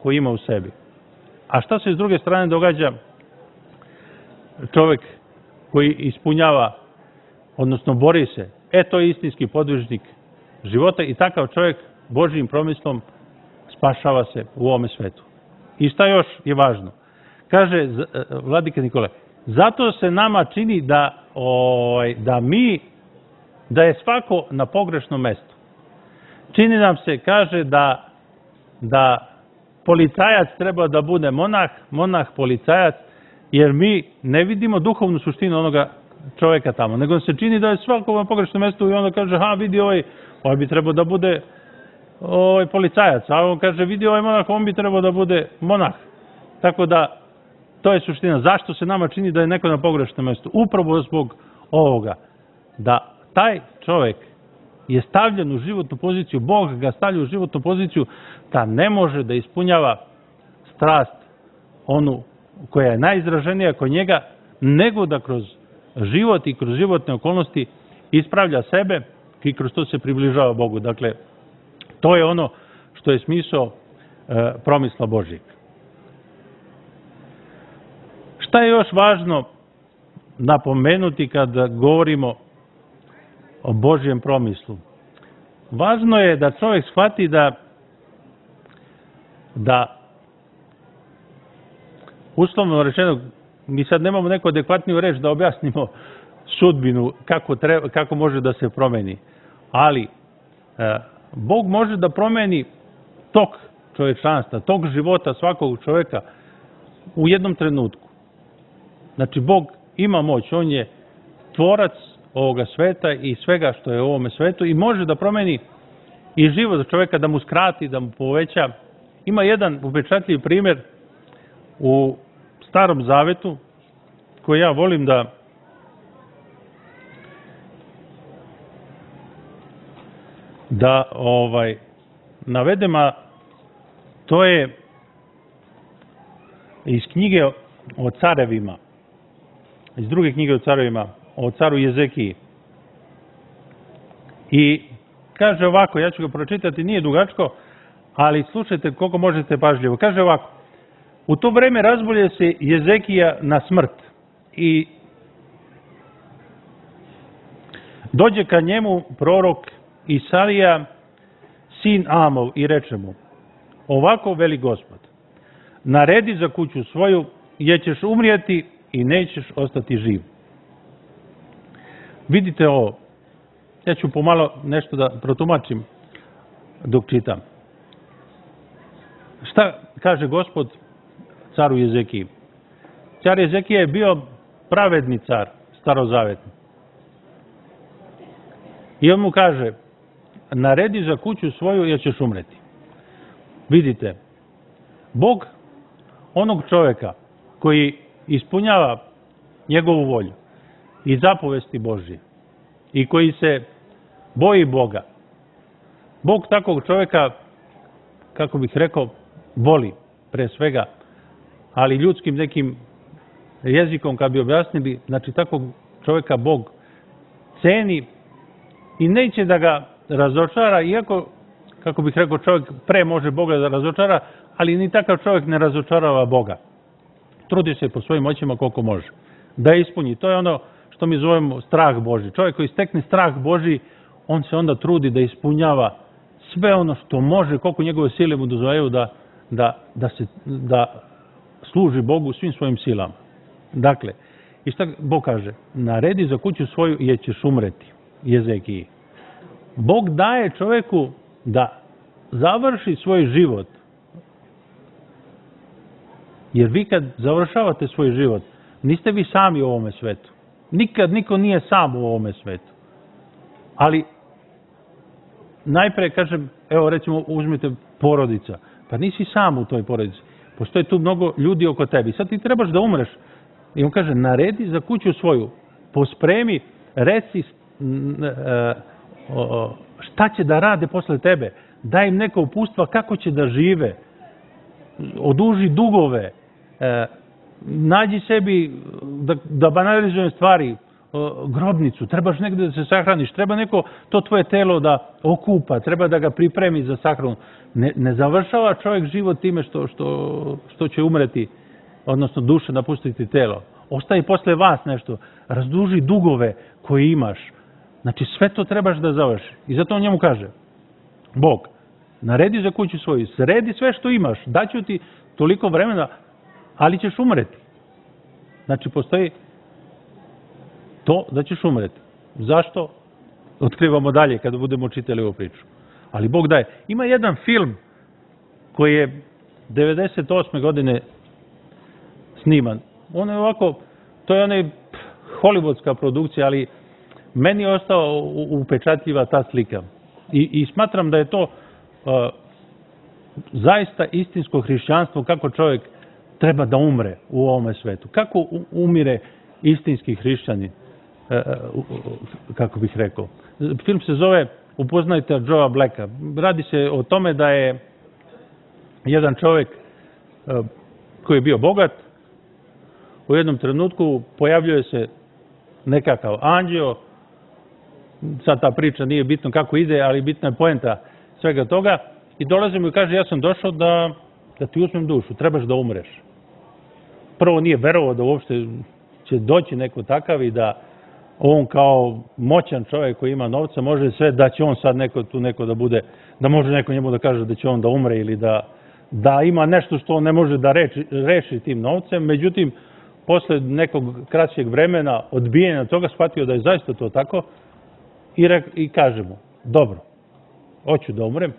koju ima u sebi. A šta se s druge strane događa? Čovjek koji ispunjava, odnosno bori se, to je istinski podvižnik života i takav čovjek Božjim promislom spašava se u ovome svetu. I šta još je važno? Kaže vladika Nikolaj, zato se nama čini da je svako na pogrešnom mestu. Čini nam se, kaže, da policajac treba da bude monah policajac, jer mi ne vidimo duhovnu suštinu onoga čovjeka tamo, nego se čini da je svako na pogrešnom mestu i onda kaže, vidi ovaj bi trebao da bude policajac, a on kaže, vidi ovaj monah, on bi trebao da bude monah. Tako da, to je suština. Zašto se nama čini da je neko na pogrešnom mestu? Upravo zbog ovoga, da taj čovjek je stavljen u životnu poziciju, Bog ga stavlja u životnu poziciju da ne može da ispunjava strast onu koja je najizraženija kod njega, nego da kroz život i kroz životne okolnosti ispravlja sebe i kroz to se približava Bogu. Dakle, to je ono što je smisao promisla Božjeg. Šta je još važno napomenuti kada govorimo o Božjem promislu? Važno je da čovjek shvati da uslovno rečeno, mi sad nemamo neku adekvatniju reč da objasnimo sudbinu, kako može da se promeni. Ali, Bog može da promeni tok čovječanstva, tok života svakog čovjeka u jednom trenutku. Znači, Bog ima moć, on je tvorac ovoga sveta i svega što je u ovome svetu i može da promeni i život čovjeka, da mu skrati, da mu poveća. Ima jedan upečatljiv primjer u Starom Zavetu koji ja volim da navedem, a to je iz knjige o carevima, iz druge knjige o carevima, o caru Jezekiji. I kaže ovako, ja ću ga pročitati, nije dugačko, ali slušajte koliko možete pažljivo. Kaže ovako, u to vreme razbolje se Jezekija na smrt i dođe ka njemu prorok Isarija, sin Amov, i reče mu, ovako veli Gospod, naredi za kuću svoju, jer ćeš umrijeti i nećeš ostati živ. Vidite ovo, ja ću pomalo nešto da protumačim dok čitam. Šta kaže Gospod caru Jezekiji? Car Jezekija je bio pravedni car, starozavetni. I on mu kaže, naredi za kuću svoju jer ćeš umreti. Vidite, Bog onog čovjeka koji ispunjava njegovu volju i zapovesti Božje i koji se boji Boga, Bog takvog čovjeka, kako bih rekao, voli pre svega, ali ljudskim nekim jezikom kad bi objasnili, znači takvog čovjeka Bog ceni i neće da ga razočara, iako, kako bih rekao, čovjek pre može Boga da razočara, ali ni takav čovjek ne razočarava Boga. Trudi se po svojim moćima koliko može da ispuni. To je ono što mi zovemo strah Božji. Čovjek koji stekne strah Božji, on se onda trudi da ispunjava sve ono što može, koliko njegove sile mu dozvoljavaju da služi Bogu svim svojim silama. Dakle, i šta Bog kaže? Naredi za kuću svoju jer ćeš umreti. Jezekiji. Bog daje čovjeku da završi svoj život. Jer vi kad završavate svoj život, niste vi sami u ovome svetu. Nikad niko nije sam u ovome svetu. Ali najpre kažem, evo recimo uzmite porodica. Pa nisi sam u toj porodici. Postoje tu mnogo ljudi oko tebi. Sad ti trebaš da umreš. I on kaže, naredi za kuću svoju. Pospremi, reci šta će da rade posle tebe. Daj im neka upustva kako će da žive. Oduži dugove. Nađi sebi, da banalizujem stvari, grobnicu, trebaš negde da se sahraniš, treba neko to tvoje telo da okupa, treba da ga pripremi za sahranu. Ne završava čovjek život time što će umreti, odnosno duša napustiti telo. Ostaje posle vas nešto, razduži dugove koje imaš. Znači sve to trebaš da završi. I zato on njemu kaže, Bog, naredi za kuću svoju, sredi sve što imaš, daću ti toliko vremena, ali ćeš umreti. Znači postoji to da ćeš umreti. Zašto? Otkrivamo dalje kada budemo čitali ovu priču. Ali Bog daje. Ima jedan film koji je 98. godine sniman. On je ovako, to je onaj hollywoodska produkcija, ali meni je ostao upečatljiva ta slika. I smatram da je to zaista istinsko hrišćanstvo, kako čovjek treba da umre u ovome svetu. Kako umire istinski hrišćanin, kako bih rekao. Film se zove Upoznajte Joea Blacka. Radi se o tome da je jedan čovjek koji je bio bogat, u jednom trenutku pojavljuje se nekakav anđeo, sad ta priča nije bitno kako ide, ali bitna je poenta svega toga, i dolazi mu i kaže, ja sam došao da ti uzmem dušu, trebaš da umreš. Prvo nije verovao da uopšte će doći neko takav i da on kao moćan čovjek koji ima novca može sve, da će on sad neko da bude, da može neko njemu da kaže da će on da umre ili da ima nešto što on ne može da reši tim novcem. Međutim, posle nekog kraćeg vremena odbijenja toga shvatio da je zaista to tako i kaže mu, dobro, hoću da umrem,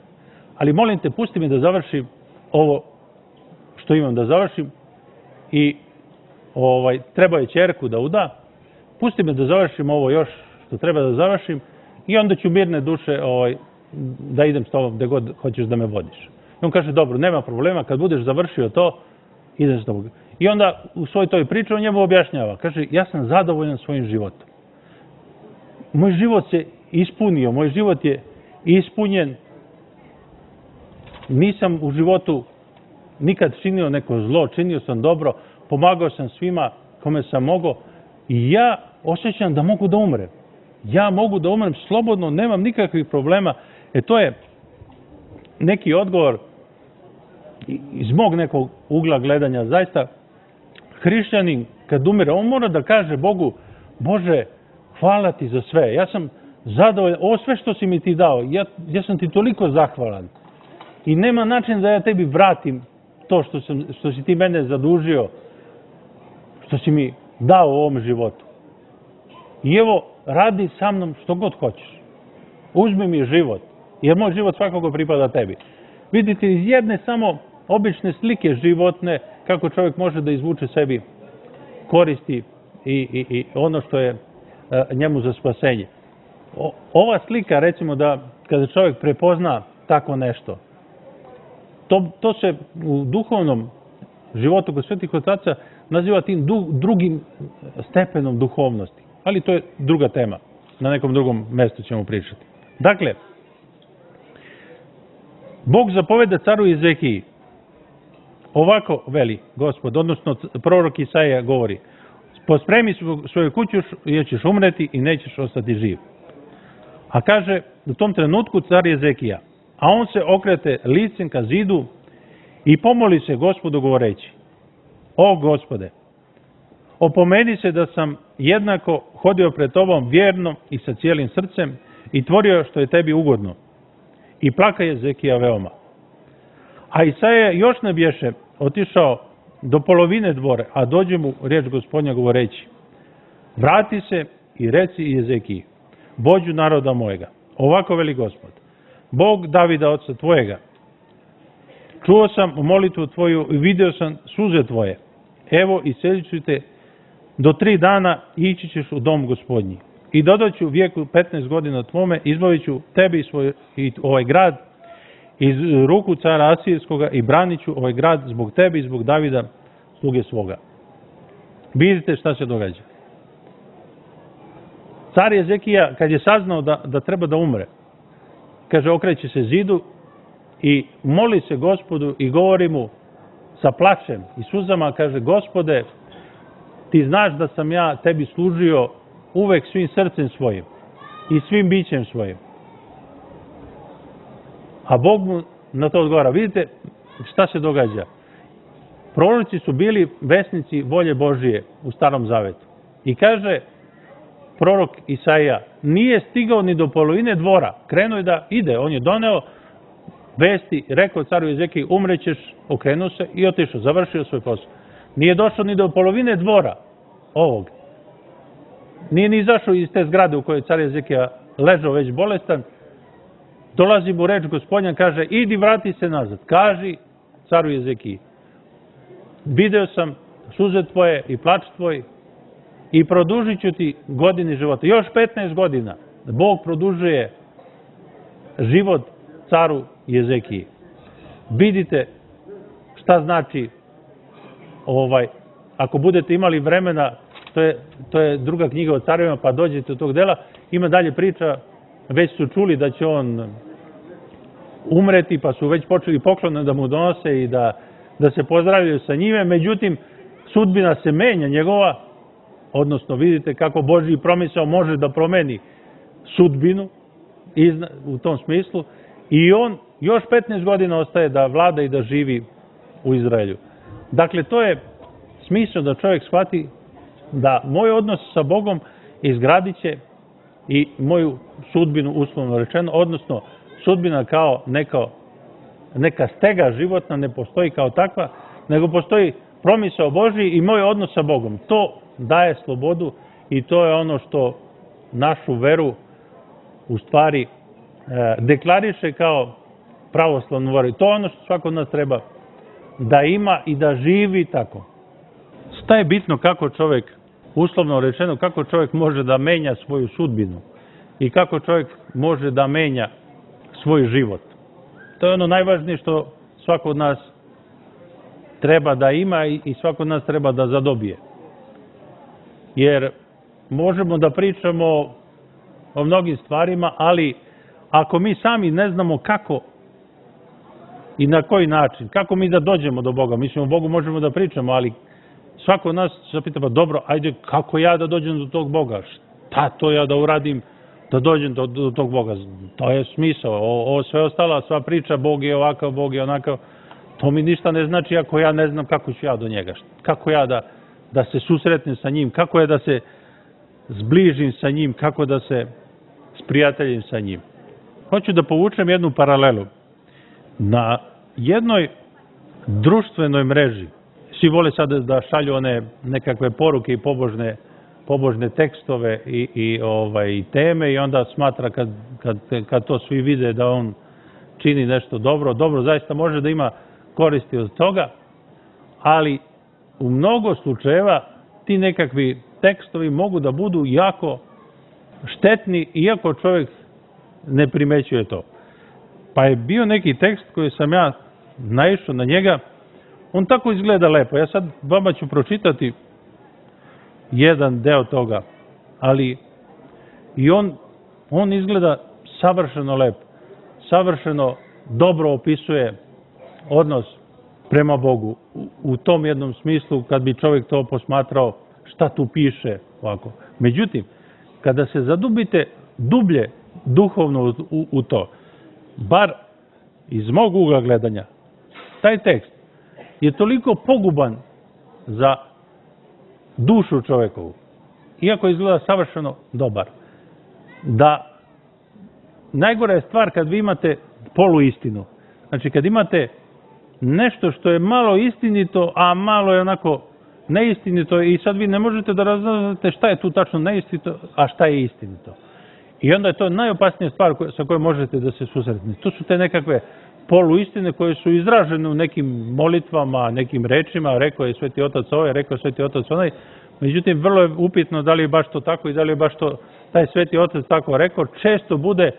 ali molim te, pusti mi da završim ovo što imam da završim i treba je ćerku da uda, pusti me da završim ovo još što treba da završim i onda ću mirne duše da idem s tobom gde god hoćeš da me vodiš. I on kaže, dobro, nema problema, kad budeš završio to, idem s tobom. I onda u svoj toj priči on njemu objašnjava, kaže, ja sam zadovoljan svojim životom. Moj život se ispunio, moj život je ispunjen, nisam u životu nikad činio neko zlo, činio sam dobro, pomagao sam svima kome sam mogao i ja osjećam da mogu da umrem. Ja mogu da umrem slobodno, nemam nikakvih problema. To je neki odgovor iz mog nekog ugla gledanja. Zaista, hrišćanin kad umire, on mora da kaže Bogu, Bože, hvala ti za sve. Ja sam zadovoljan, ovo sve što si mi ti dao, ja sam ti toliko zahvalan. I nema način da ja tebi vratim to što si ti mene zadužio, što si mi dao u ovom životu. I evo, radi sa mnom što god hoćeš. Uzmi mi život, jer moj život svakako pripada tebi. Vidite, iz jedne samo obične slike životne, kako čovjek može da izvuče sebi koristi i ono što je njemu za spasenje. Ova slika, recimo da kada čovjek prepozna tako nešto, to se u duhovnom životu kod svetih otaca naziva tim drugim stepenom duhovnosti. Ali to je druga tema. Na nekom drugom mestu ćemo pričati. Dakle, Bog zapoveda caru Ezekiji, ovako veli Gospod, odnosno prorok Isaija govori, pospremi svoju kuću jer ćeš umreti i nećeš ostati živ. A kaže u tom trenutku car Ezekija, a on se okrete licem ka zidu i pomoli se Gospodu govoreći, o Gospode, opomeni se da sam jednako hodio pred tobom vjerno i sa cijelim srcem i tvorio što je tebi ugodno. I plaka je Ezekija veoma. A Isaija još ne bješe otišao do polovine dvore, a dođe mu riječ Gospodnja govoreći, vrati se i reci Ezekiji, vođu naroda mojega, ovako veli Gospod, Bog Davida oca tvojega, čuo sam molitvu tvoju i vidio sam suze tvoje, evo iselit ću te do 3 dana i ići ćeš u dom Gospodnji. I dodat ću vijeku 15 godina tvome, izbavit ću tebi i ovaj grad iz ruku cara Asirskoga i branit ću ovaj grad zbog tebe i zbog Davida, sluge svoga. Vidite šta se događa. Car Ezekija, kad je saznao da treba da umre, kaže, okreće se zidu i moli se Gospodu i govori mu sa plačem i suzama, kaže, Gospode, ti znaš da sam ja tebi služio uvek svim srcem svojim i svim bićem svojim. A Bog mu na to odgovara. Vidite šta se događa. Proroci su bili vesnici volje Božije u Starom Zavetu. I kaže prorok Isaija, nije stigao ni do polovine dvora. Krenuo je da ide. On je doneo vesti, rekao caru Ezekiji, umrećeš, okrenuo se i otišao, završio svoj posao. Nije došao ni do polovine dvora ovog. Nije ni izašao iz te zgrade u kojoj car Ezekija ležao već bolestan. Dolazi mu reč Gospodnja, kaže, idi vrati se nazad. Kaži caru Ezekiji, video sam suze tvoje i plač tvoj i produžit ću ti godine života. Još 15 godina Bog produžuje život caru Ezekiji. Vidite šta znači ako budete imali vremena, to je druga knjiga o carevima, pa dođete do tog dela, ima dalje priča, već su čuli da će on umreti, pa su već počeli poklone da mu donose i da se pozdravljaju sa njime, međutim, sudbina se menja njegova, odnosno vidite kako Božji promisao može da promeni sudbinu u tom smislu i on još 15 godina ostaje da vlada i da živi u Izraelju. Dakle, to je smisao da čovjek shvati da moj odnos sa Bogom izgradit će i moju sudbinu, uslovno rečeno, odnosno sudbina kao neka stega životna ne postoji kao takva, nego postoji promisao Božji i moj odnos sa Bogom. To daje slobodu i to je ono što našu veru u stvari deklariše kao pravoslavnu veru. To je ono što svako od nas treba da ima i da živi tako. Šta je bitno kako čovjek, uslovno rečeno, kako čovjek može da menja svoju sudbinu i kako čovjek može da menja svoj život. To je ono najvažnije što svako od nas treba da ima i svako od nas treba da zadobije. Jer možemo da pričamo o mnogim stvarima, ali ako mi sami ne znamo kako i na koji način, kako mi da dođemo do Boga, mislim o Bogu možemo da pričamo, ali svako od nas se pita, pa dobro, ajde, kako ja da dođem do tog Boga? Šta to ja da uradim da dođem do tog Boga? To je smisao. Ovo sve ostalo, sva priča, Bog je ovakav, Bog je onakav, to mi ništa ne znači ako ja ne znam kako ću ja do njega. Kako ja da se susretnem sa njim, kako je da se zbližim sa njim, kako da se sprijateljim sa njim. Hoću da povučem jednu paralelu. Na jednoj društvenoj mreži, svi vole sada da šalju one nekakve poruke i pobožne tekstove i teme i onda smatra kad to svi vide da on čini nešto dobro. Dobro, zaista može da ima koristi od toga, ali u mnogo slučajeva ti nekakvi tekstovi mogu da budu jako štetni, iako čovjek ne primećuje to. Pa je bio neki tekst koji sam ja naišao na njega On tako izgleda lepo. Ja sad vama ću pročitati jedan deo toga, ali i on izgleda savršeno lep, savršeno dobro opisuje odnos prema Bogu u tom jednom smislu kad bi čovjek to posmatrao šta tu piše ovako. Međutim, kada se zadubite dublje duhovno u to, bar iz mog ugla gledanja, taj tekst je toliko poguban za dušu čovjekovu, iako izgleda savršeno dobar, da najgora je stvar kad vi imate poluistinu. Znači, kad imate nešto što je malo istinito, a malo je onako neistinito i sad vi ne možete da raznate šta je tu tačno neistinito, a šta je istinito. I onda je to najopasnija stvar sa kojom možete da se susretnete. To su te nekakve poluistine koje su izražene u nekim molitvama, nekim rečima, rekao je Sveti Otac ovaj, rekao je Sveti Otac onaj. Međutim, vrlo je upitno da li je baš to tako i da li je baš to taj Sveti Otac tako rekao. Često bude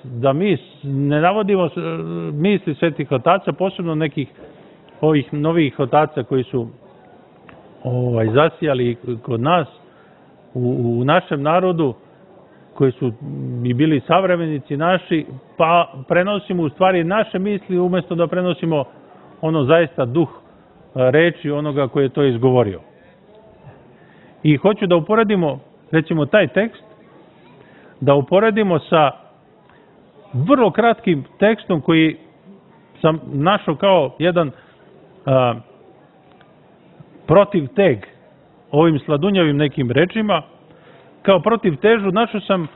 da mi ne navodimo misli Svetih Otaca, posebno nekih ovih novih otaca koji su zasijali kod nas, u našem narodu, koji su i bili savremenici naši, pa prenosimo u stvari naše misli umjesto da prenosimo ono zaista duh reči onoga koji je to izgovorio. I hoću da uporedimo, recimo, taj tekst, da uporedimo sa vrlo kratkim tekstom koji sam našao kao jedan protiv teg ovim sladunjavim nekim rečima. Kao protiv težu našao sam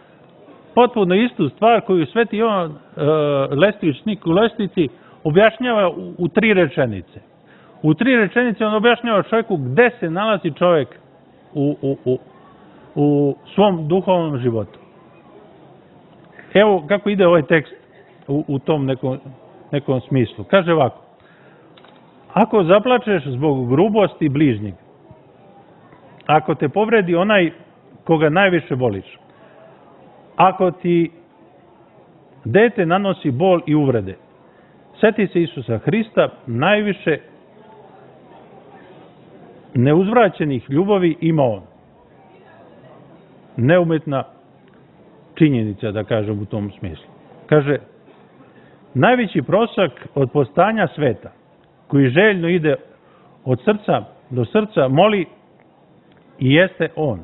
potpuno istu stvar koju Sveti Jovan Lestvić u Lestvici objašnjava u 3 rečenice. U 3 rečenice on objašnjava čovjeku gde se nalazi čovjek u svom duhovnom životu. Evo kako ide ovaj tekst u tom nekom smislu. Kaže ovako: ako zaplačeš zbog grubosti bližnjeg, ako te povredi onaj koga najviše voliš, ako ti dete nanosi bol i uvrede, seti se Isusa Hrista, najviše neuzvraćenih ljubavi ima on. Neumetna činjenica, da kažem u tom smislu. Kaže, najveći prosak od postanja sveta, koji željno ide od srca do srca, moli i jeste on.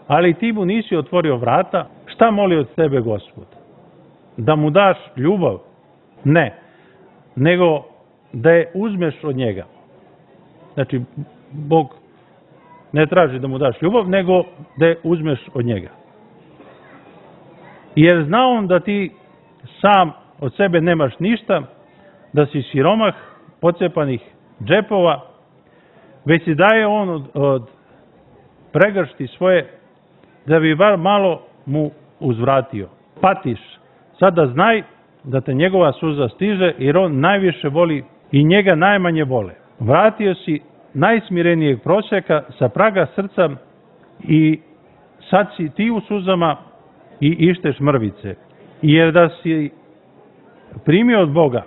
Ali ti mu nisi otvorio vrata, šta moli od tebe Gospod? Da mu daš ljubav? Ne, nego da je uzmeš od njega. Znači, Bog ne traži da mu daš ljubav, nego da je uzmeš od njega. Jer zna on da ti sam od sebe nemaš ništa, da si siromah, pocepanih džepova, već si daje on od pregršti svoje, da bi bar malo mu uzvratio. Patiš, sada znaj da te njegova suza stiže, jer on najviše voli i njega najmanje vole. Vratio si najsmirenijeg prosjaka sa praga srca i sad si ti u suzama i išteš mrvice. Jer da si primio od Boga,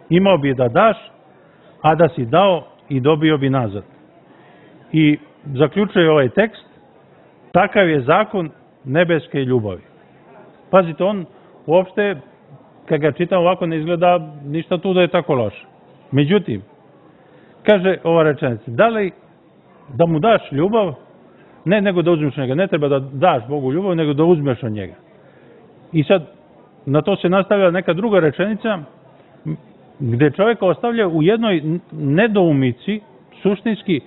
imao bi da daš, a da si dao i dobio bi nazad. I zaključuje ovaj tekst, takav je zakon nebeske ljubavi. Pazite, on uopšte, kad ga čitam ovako, ne izgleda ništa tu da je tako loše. Međutim, kaže ova rečenica, da li da mu daš ljubav, ne nego da uzmeš od njega, ne treba da daš Bogu ljubav, nego da uzmeš od njega. I sad, na to se nastavlja neka druga rečenica, gde čovjeka ostavlja u jednoj nedoumici, suštinski,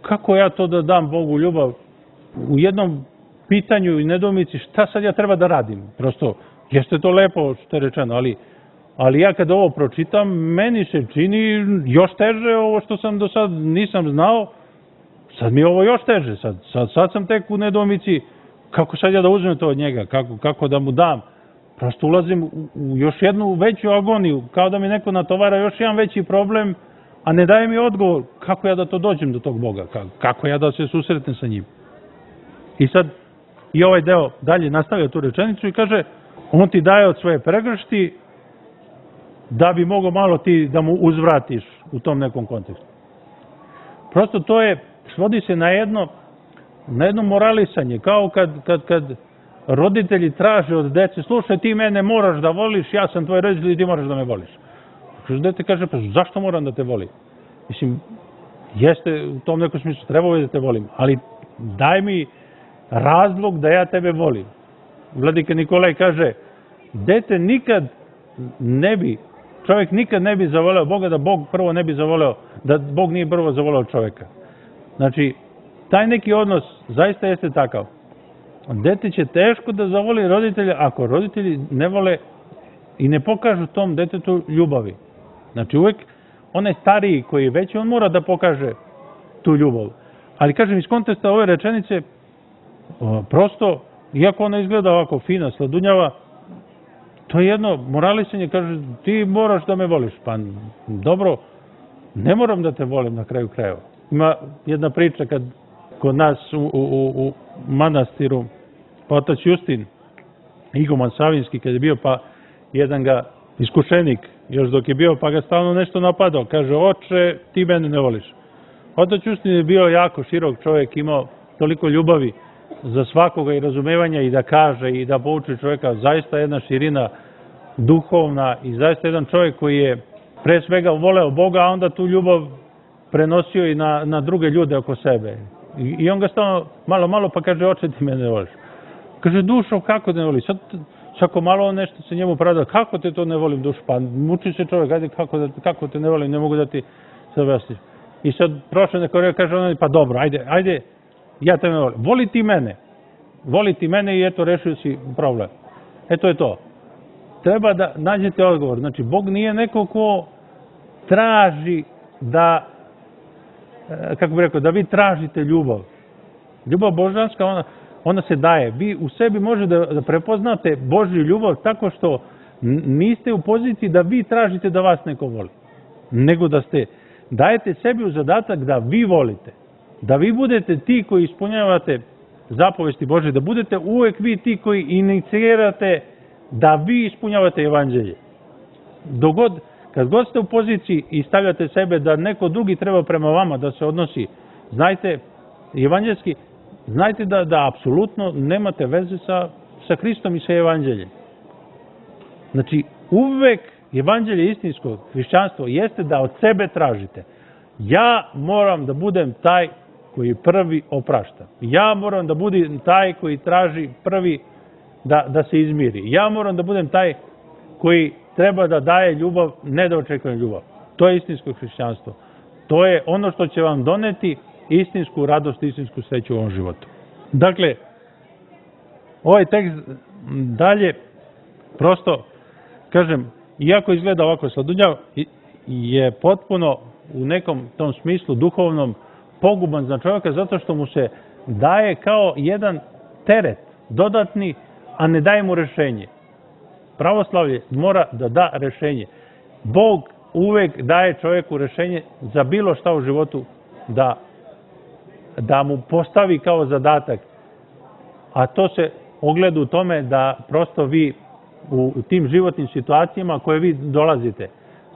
kako ja to da dam Bogu ljubav, u jednom pitanju i nedoumici, šta sad ja treba da radim? Prosto, jeste to lepo što je rečeno, ali ja kad ovo pročitam, meni se čini još teže ovo što sam do sad nisam znao, sad mi je ovo još teže, sad sam tek u nedoumici, kako sad ja da uzmem to od njega, kako da mu dam? Prosto ulazim u još jednu veću agoniju, kao da mi neko natovara još jedan veći problem, a ne daje mi odgovor kako ja da to dođem do tog Boga, kako ja da se susretnem sa njim. I sad i ovaj deo dalje nastavlja tu rečenicu i kaže, on ti daje od svoje pregršti da bi mogao malo ti da mu uzvratiš u tom nekom kontekstu. Prosto to je, svodi se na jedno moralisanje, kao kad roditelji traže od dece, slušaj, ti mene moraš da voliš, ja sam tvoj roditelj i ti moraš da me voliš. Dete kaže, pa zašto moram da te volim? Mislim, jeste u tom nekom smislu, trebao je da te volim, ali daj mi razlog da ja tebe volim. Vladika Nikolaj kaže, dete nikad ne bi, čovjek nikad ne bi zavoleo Boga da Bog prvo ne bi zavoleo, da Bog nije prvo zavoleo čovjeka. Znači, taj neki odnos zaista jeste takav. Dete će teško da zavoli roditelja ako roditelji ne vole i ne pokažu tom detetu ljubavi. Znači, uvek onaj stariji koji je veći, on mora da pokaže tu ljubav. Ali, kažem, iz konteksta ove rečenice, prosto, iako ona izgleda ovako fina, sladunjava, to je jedno moralisanje, kaže, ti moraš da me voliš. Pa, dobro, ne moram da te volim na kraju krajeva. Ima jedna priča kad kod nas u manastiru, pa otac Justin, iguman Savinski, kad je bio, pa jedan ga iskušenik, još dok je bio, pa ga stalno nešto napadao. Kaže, oče, ti mene ne voliš. Otac Justin je bio jako širok čovjek, imao toliko ljubavi za svakoga i razumevanja i da kaže i da pouči čovjeka. Zaista jedna širina duhovna i zaista jedan čovjek koji je pre svega voleo Boga, a onda tu ljubav prenosio i na druge ljude oko sebe. I on ga stalno malo pa kaže, oče, ti mene ne voliš. Kaže, dušo, kako te ne voliš? Sad svako malo nešto se njemu pravda, kako te to ne volim, dušo? Pa muči se čovjek, ajde, kako te ne volim, ne mogu da ti se objasniš. I sad prošle neko vreme kaže on, pa dobro, ajde, ja te ne volim. Voli ti mene i eto, rešio si problem. Eto je to. Treba da nađete odgovor. Znači, Bog nije neko ko traži da, kako bih rekao, da vi tražite ljubav. Ljubav božanska, ona se daje. Vi u sebi možete da prepoznate Božju ljubav tako što niste u poziciji da vi tražite da vas neko voli. Nego da dajete sebi u zadatak da vi volite. Da vi budete ti koji ispunjavate zapovesti Božje, da budete uvek vi ti koji inicirate da vi ispunjavate evanđelje. Kad god ste u poziciji i stavljate sebe da neko drugi treba prema vama da se odnosi, znajte, evanđelski, znajte da apsolutno nemate veze sa Hristom i sa evanđeljem. Znači, uvek evanđelje istinsko, hrišćanstvo, jeste da od sebe tražite. Ja moram da budem taj koji prvi oprašta. Ja moram da budem taj koji traži prvi da se izmiri. Ja moram da budem taj koji treba da daje ljubav, ne da očekujem ljubav. To je istinsko hrišćanstvo. To je ono što će vam doneti istinsku radost, istinsku sreću u ovom životu. Dakle, ovaj tekst dalje, prosto, kažem, iako izgleda ovako sladunjav, je potpuno u nekom tom smislu duhovnom poguban za čovjeka, zato što mu se daje kao jedan teret dodatni, a ne daje mu rešenje. Pravoslavlje mora da da rešenje. Bog uvek daje čovjeku rešenje za bilo šta u životu da mu postavi kao zadatak. A to se ogleda u tome da prosto vi u tim životnim situacijama koje vi dolazite,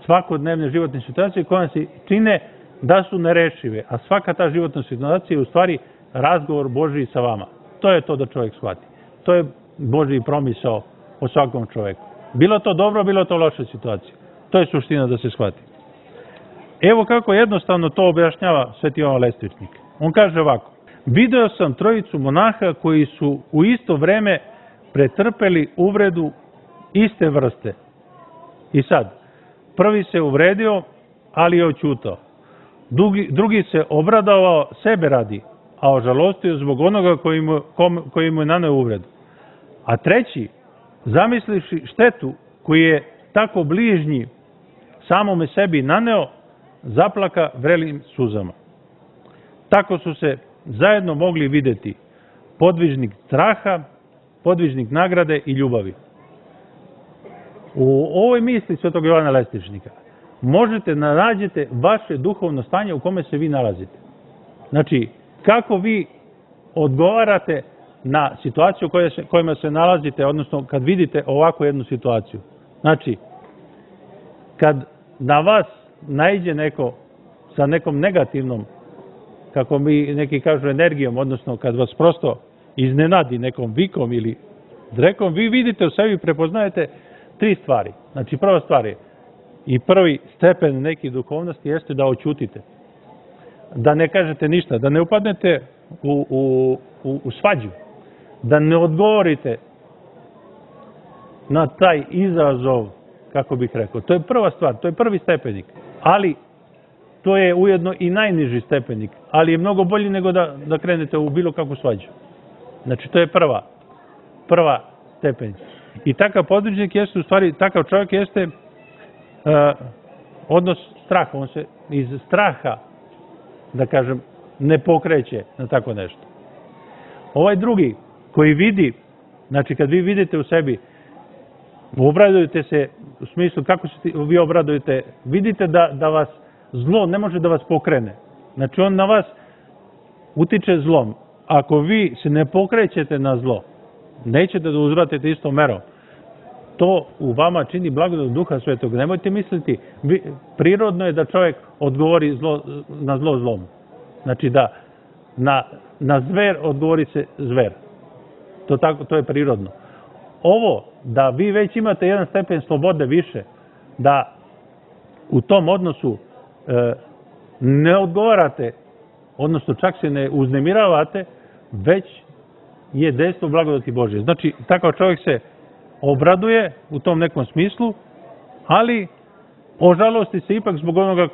svakodnevne životne situacije koje se čine da su nerešive, a svaka ta životna situacija je u stvari razgovor Božji sa vama. To je to da čovjek shvati. To je Božji promisao o svakom čovjeku. Bilo to dobro, bilo to loša situacija. To je suština da se shvati. Evo kako jednostavno to objašnjava Sveti Jovan Lestvičnik. On kaže ovako: video sam trojicu monaha koji su u isto vreme pretrpeli uvredu iste vrste. I sad, prvi se uvredio, ali je oćutao. Drugi se obradovao sebe radi, a ožalostio zbog onoga koji mu je naneo uvredu. A treći, zamislivši štetu koju je tako bližnji samome sebi naneo, zaplaka vrelim suzama. Tako su se zajedno mogli videti podvižnik straha, podvižnik nagrade i ljubavi. U ovoj misli Svetog Jovana Lestvičnika možete nađete vaše duhovno stanje u kome se vi nalazite. Znači, kako vi odgovarate na situaciju u kojima se nalazite, odnosno kad vidite ovakvu jednu situaciju. Znači, kad na vas naiđe neko sa nekom negativnom, kako mi neki kažu, energijom, odnosno kad vas prosto iznenadi nekom vikom ili drekom, vi vidite u sebi, prepoznajete 3 stvari. Znači, prva stvar je, i prvi stepen neki duhovnosti jeste da oćutite. Da ne kažete ništa, da ne upadnete u svađu, da ne odgovorite na taj izazov, kako bih rekao. To je prva stvar, to je prvi stepenik. Ali to je ujedno i najniži stepenik, ali je mnogo bolji nego da krenete u bilo kakvu svađu. Znači, to je prva stepenik. I takav područnik jeste, u stvari, takav čovjek jeste odnos straha. On se iz straha, da kažem, ne pokreće na tako nešto. Ovaj drugi, koji vidi, znači kad vi vidite u sebi, obradujete se, u smislu kako se vi obradujete, vidite da vas zlo ne može da vas pokrene. Znači on na vas utiče zlom. Ako vi se ne pokrećete na zlo, nećete da uzvratite istom merom. To u vama čini blagodat Duha Svetog. Nemojte misliti, prirodno je da čovjek odgovori na zlo zlom. Znači da na zver odgovori se zver. To je prirodno. Ovo, da vi već imate jedan stepen slobode više, da u tom odnosu ne odgovarate, odnosno čak se ne uznemiravate, već je dejstvo blagodati Božje. Znači, takav čovjek se obraduje u tom nekom smislu, ali ožalosti se ipak zbog onoga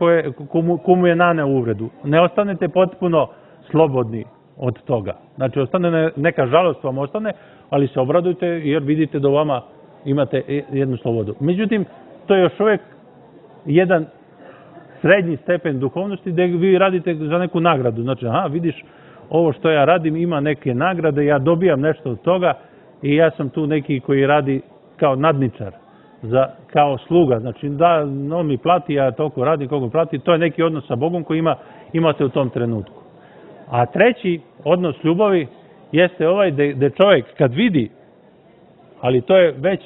komu je naneo uvredu. Ne ostanete potpuno slobodni od toga. Znači, ostane neka žalost vam ostane, ali se obradujte jer vidite da u vama imate jednu slobodu. Međutim, to je još uvijek jedan srednji stepen duhovnosti gdje vi radite za neku nagradu. Znači, vidiš, ovo što ja radim ima neke nagrade, ja dobijam nešto od toga i ja sam tu neki koji radi kao nadničar, kao sluga. Znači, da, on mi plati, ja toliko radim koliko plati. To je neki odnos sa Bogom koji imate u tom trenutku. A treći odnos ljubavi jeste ovaj gdje čovjek kad vidi, ali to je već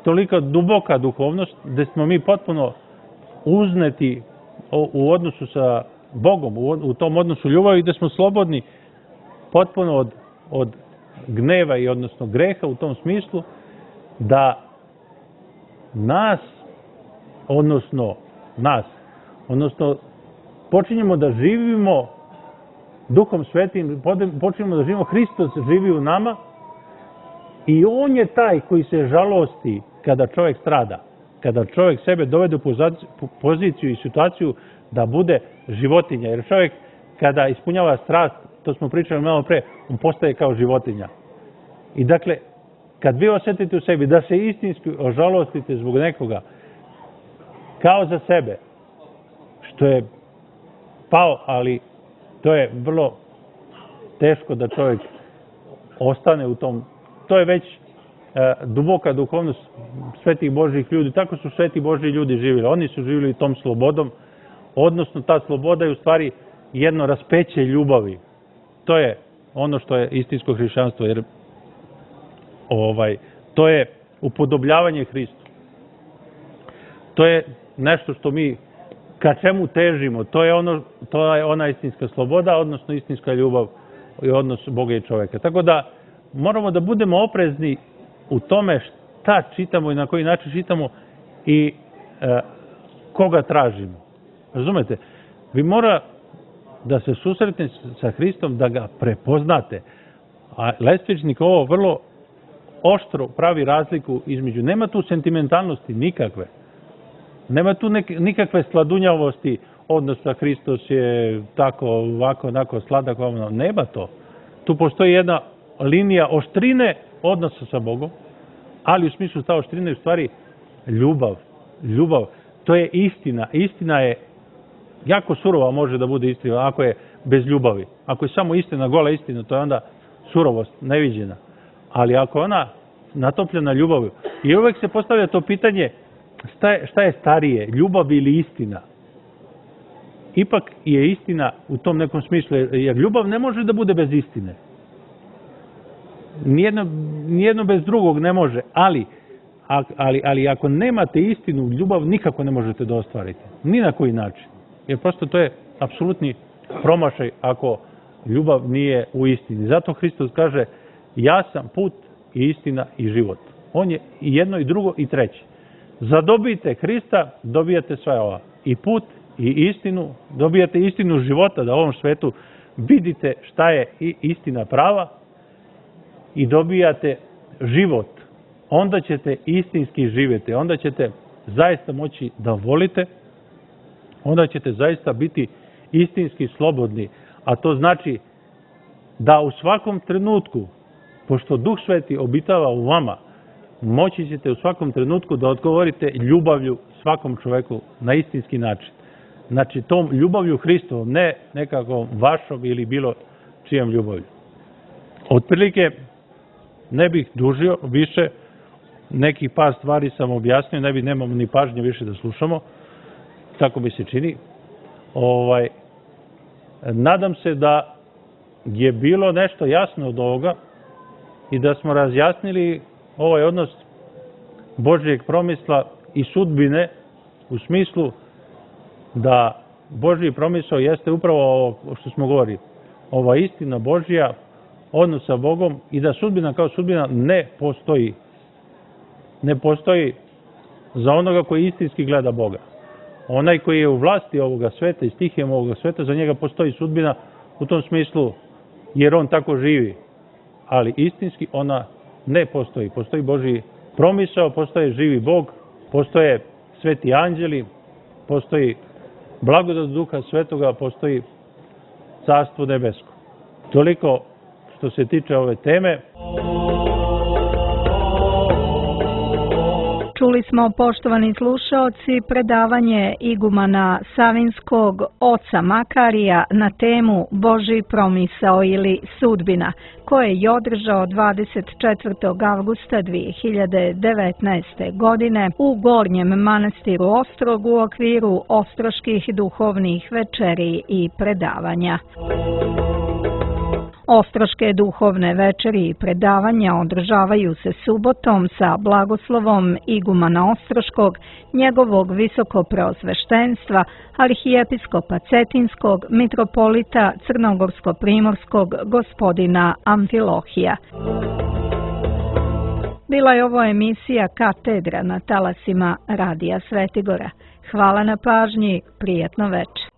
toliko duboka duhovnost, gdje smo mi potpuno uzneti u odnosu sa Bogom, u tom odnosu ljubavi, gdje smo slobodni potpuno od gneva i odnosno greha u tom smislu, da nas počinjemo da živimo Duhom Svetim, počinjemo da živimo, Hristos živi u nama i on je taj koji se žalosti kada čovjek strada, kada čovjek sebe dovede u poziciju i situaciju da bude životinja. Jer čovjek kada ispunjava strast, to smo pričali malo pre, on postaje kao životinja. I dakle, kad vi osjetite u sebi da se istinski ožalostite zbog nekoga, kao za sebe, što je pao, ali to je vrlo teško da čovjek ostane u tom. To je već duboka duhovnost svetih Božjih ljudi. Tako su sveti Božji ljudi živjeli. Oni su živjeli tom slobodom, odnosno ta sloboda je u stvari jedno raspeće ljubavi. To je ono što je istinsko hrišćanstvo, jer to je upodobljavanje Hristu. To je nešto što mi ka čemu težimo. To je ona istinska sloboda, odnosno istinska ljubav i odnos Boga i čovjeka. Tako da moramo da budemo oprezni u tome šta čitamo i na koji način čitamo i koga tražimo. Razumete? Vi mora da se susretnete sa Hristom, da ga prepoznate. A Lestvičnik ovo vrlo oštro pravi razliku između. Nema tu sentimentalnosti nikakve. Nema tu nikakve sladunjavosti, odnosno Hristos je tako, ovako, onako, sladak, nema to. Tu postoji jedna linija oštrine odnosa sa Bogom, ali u smislu ta oštrina je u stvari ljubav. Ljubav, to je istina. Istina je jako surova, može da bude istina ako je bez ljubavi. Ako je samo istina, gola istina, to je onda surovost, neviđena. Ali ako je ona natopljena ljubavlju, i uvek se postavlja to pitanje šta je starije, ljubav ili istina? Ipak je istina u tom nekom smislu, jer ljubav ne može da bude bez istine. Nijedno bez drugog ne može, ali ali ako nemate istinu, ljubav nikako ne možete da ostvarite. Ni na koji način. Jer prosto to je apsolutni promašaj ako ljubav nije u istini. Zato Hristos kaže, ja sam put i istina i život. On je i jedno i drugo i treće. Zadobijete Hrista, dobijate sve ova. I put i istinu, dobijate istinu života, da u ovom svetu vidite šta je i istina prava i dobijate život. Onda ćete istinski živjeti, onda ćete zaista moći da volite, onda ćete zaista biti istinski slobodni. A to znači da u svakom trenutku, pošto Duh Sveti obitava u vama, moći ćete u svakom trenutku da odgovorite ljubavlju svakom čoveku na istinski način. Znači tom ljubavlju Hristovom, ne nekako vašom ili bilo čijem ljubavlju. Otprilike ne bih dužio više, nekih par stvari sam objasnio, nemamo ni pažnje više da slušamo, tako mi se čini. Nadam se da je bilo nešto jasno od ovoga i da smo razjasnili ovaj odnos Božjeg promisla i sudbine u smislu da Božji promisao jeste upravo ovo što smo govorili, ova istina Božja, odnos sa Bogom i da sudbina kao sudbina ne postoji. Ne postoji za onoga koji istinski gleda Boga. Onaj koji je u vlasti ovoga sveta i stihijem ovoga sveta, za njega postoji sudbina u tom smislu jer on tako živi. Ali istinski ona ne postoji. Postoji Božji promisao, postoje živi Bog, postoje sveti anđeli, postoji blagodat Duha Svetoga, postoji carstvo nebesko. Toliko što se tiče ove teme. Čuli smo, poštovani slušaoci, predavanje igumana Savinskog oca Makarija na temu Božji promisao ili sudbina, koje je održao 24. avgusta 2019. godine u Gornjem manastiru Ostrog u okviru Ostroških duhovnih večeri i predavanja. Ostroške duhovne večeri i predavanja održavaju se subotom sa blagoslovom igumana Ostroškog, njegovog visokopreosveštenstva, arhijepiskopa Cetinskog, mitropolita Crnogorsko-primorskog gospodina Amfilohija. Bila je ovo emisija Katedra na talasima Radija Svetigora. Hvala na pažnji, prijatno večer.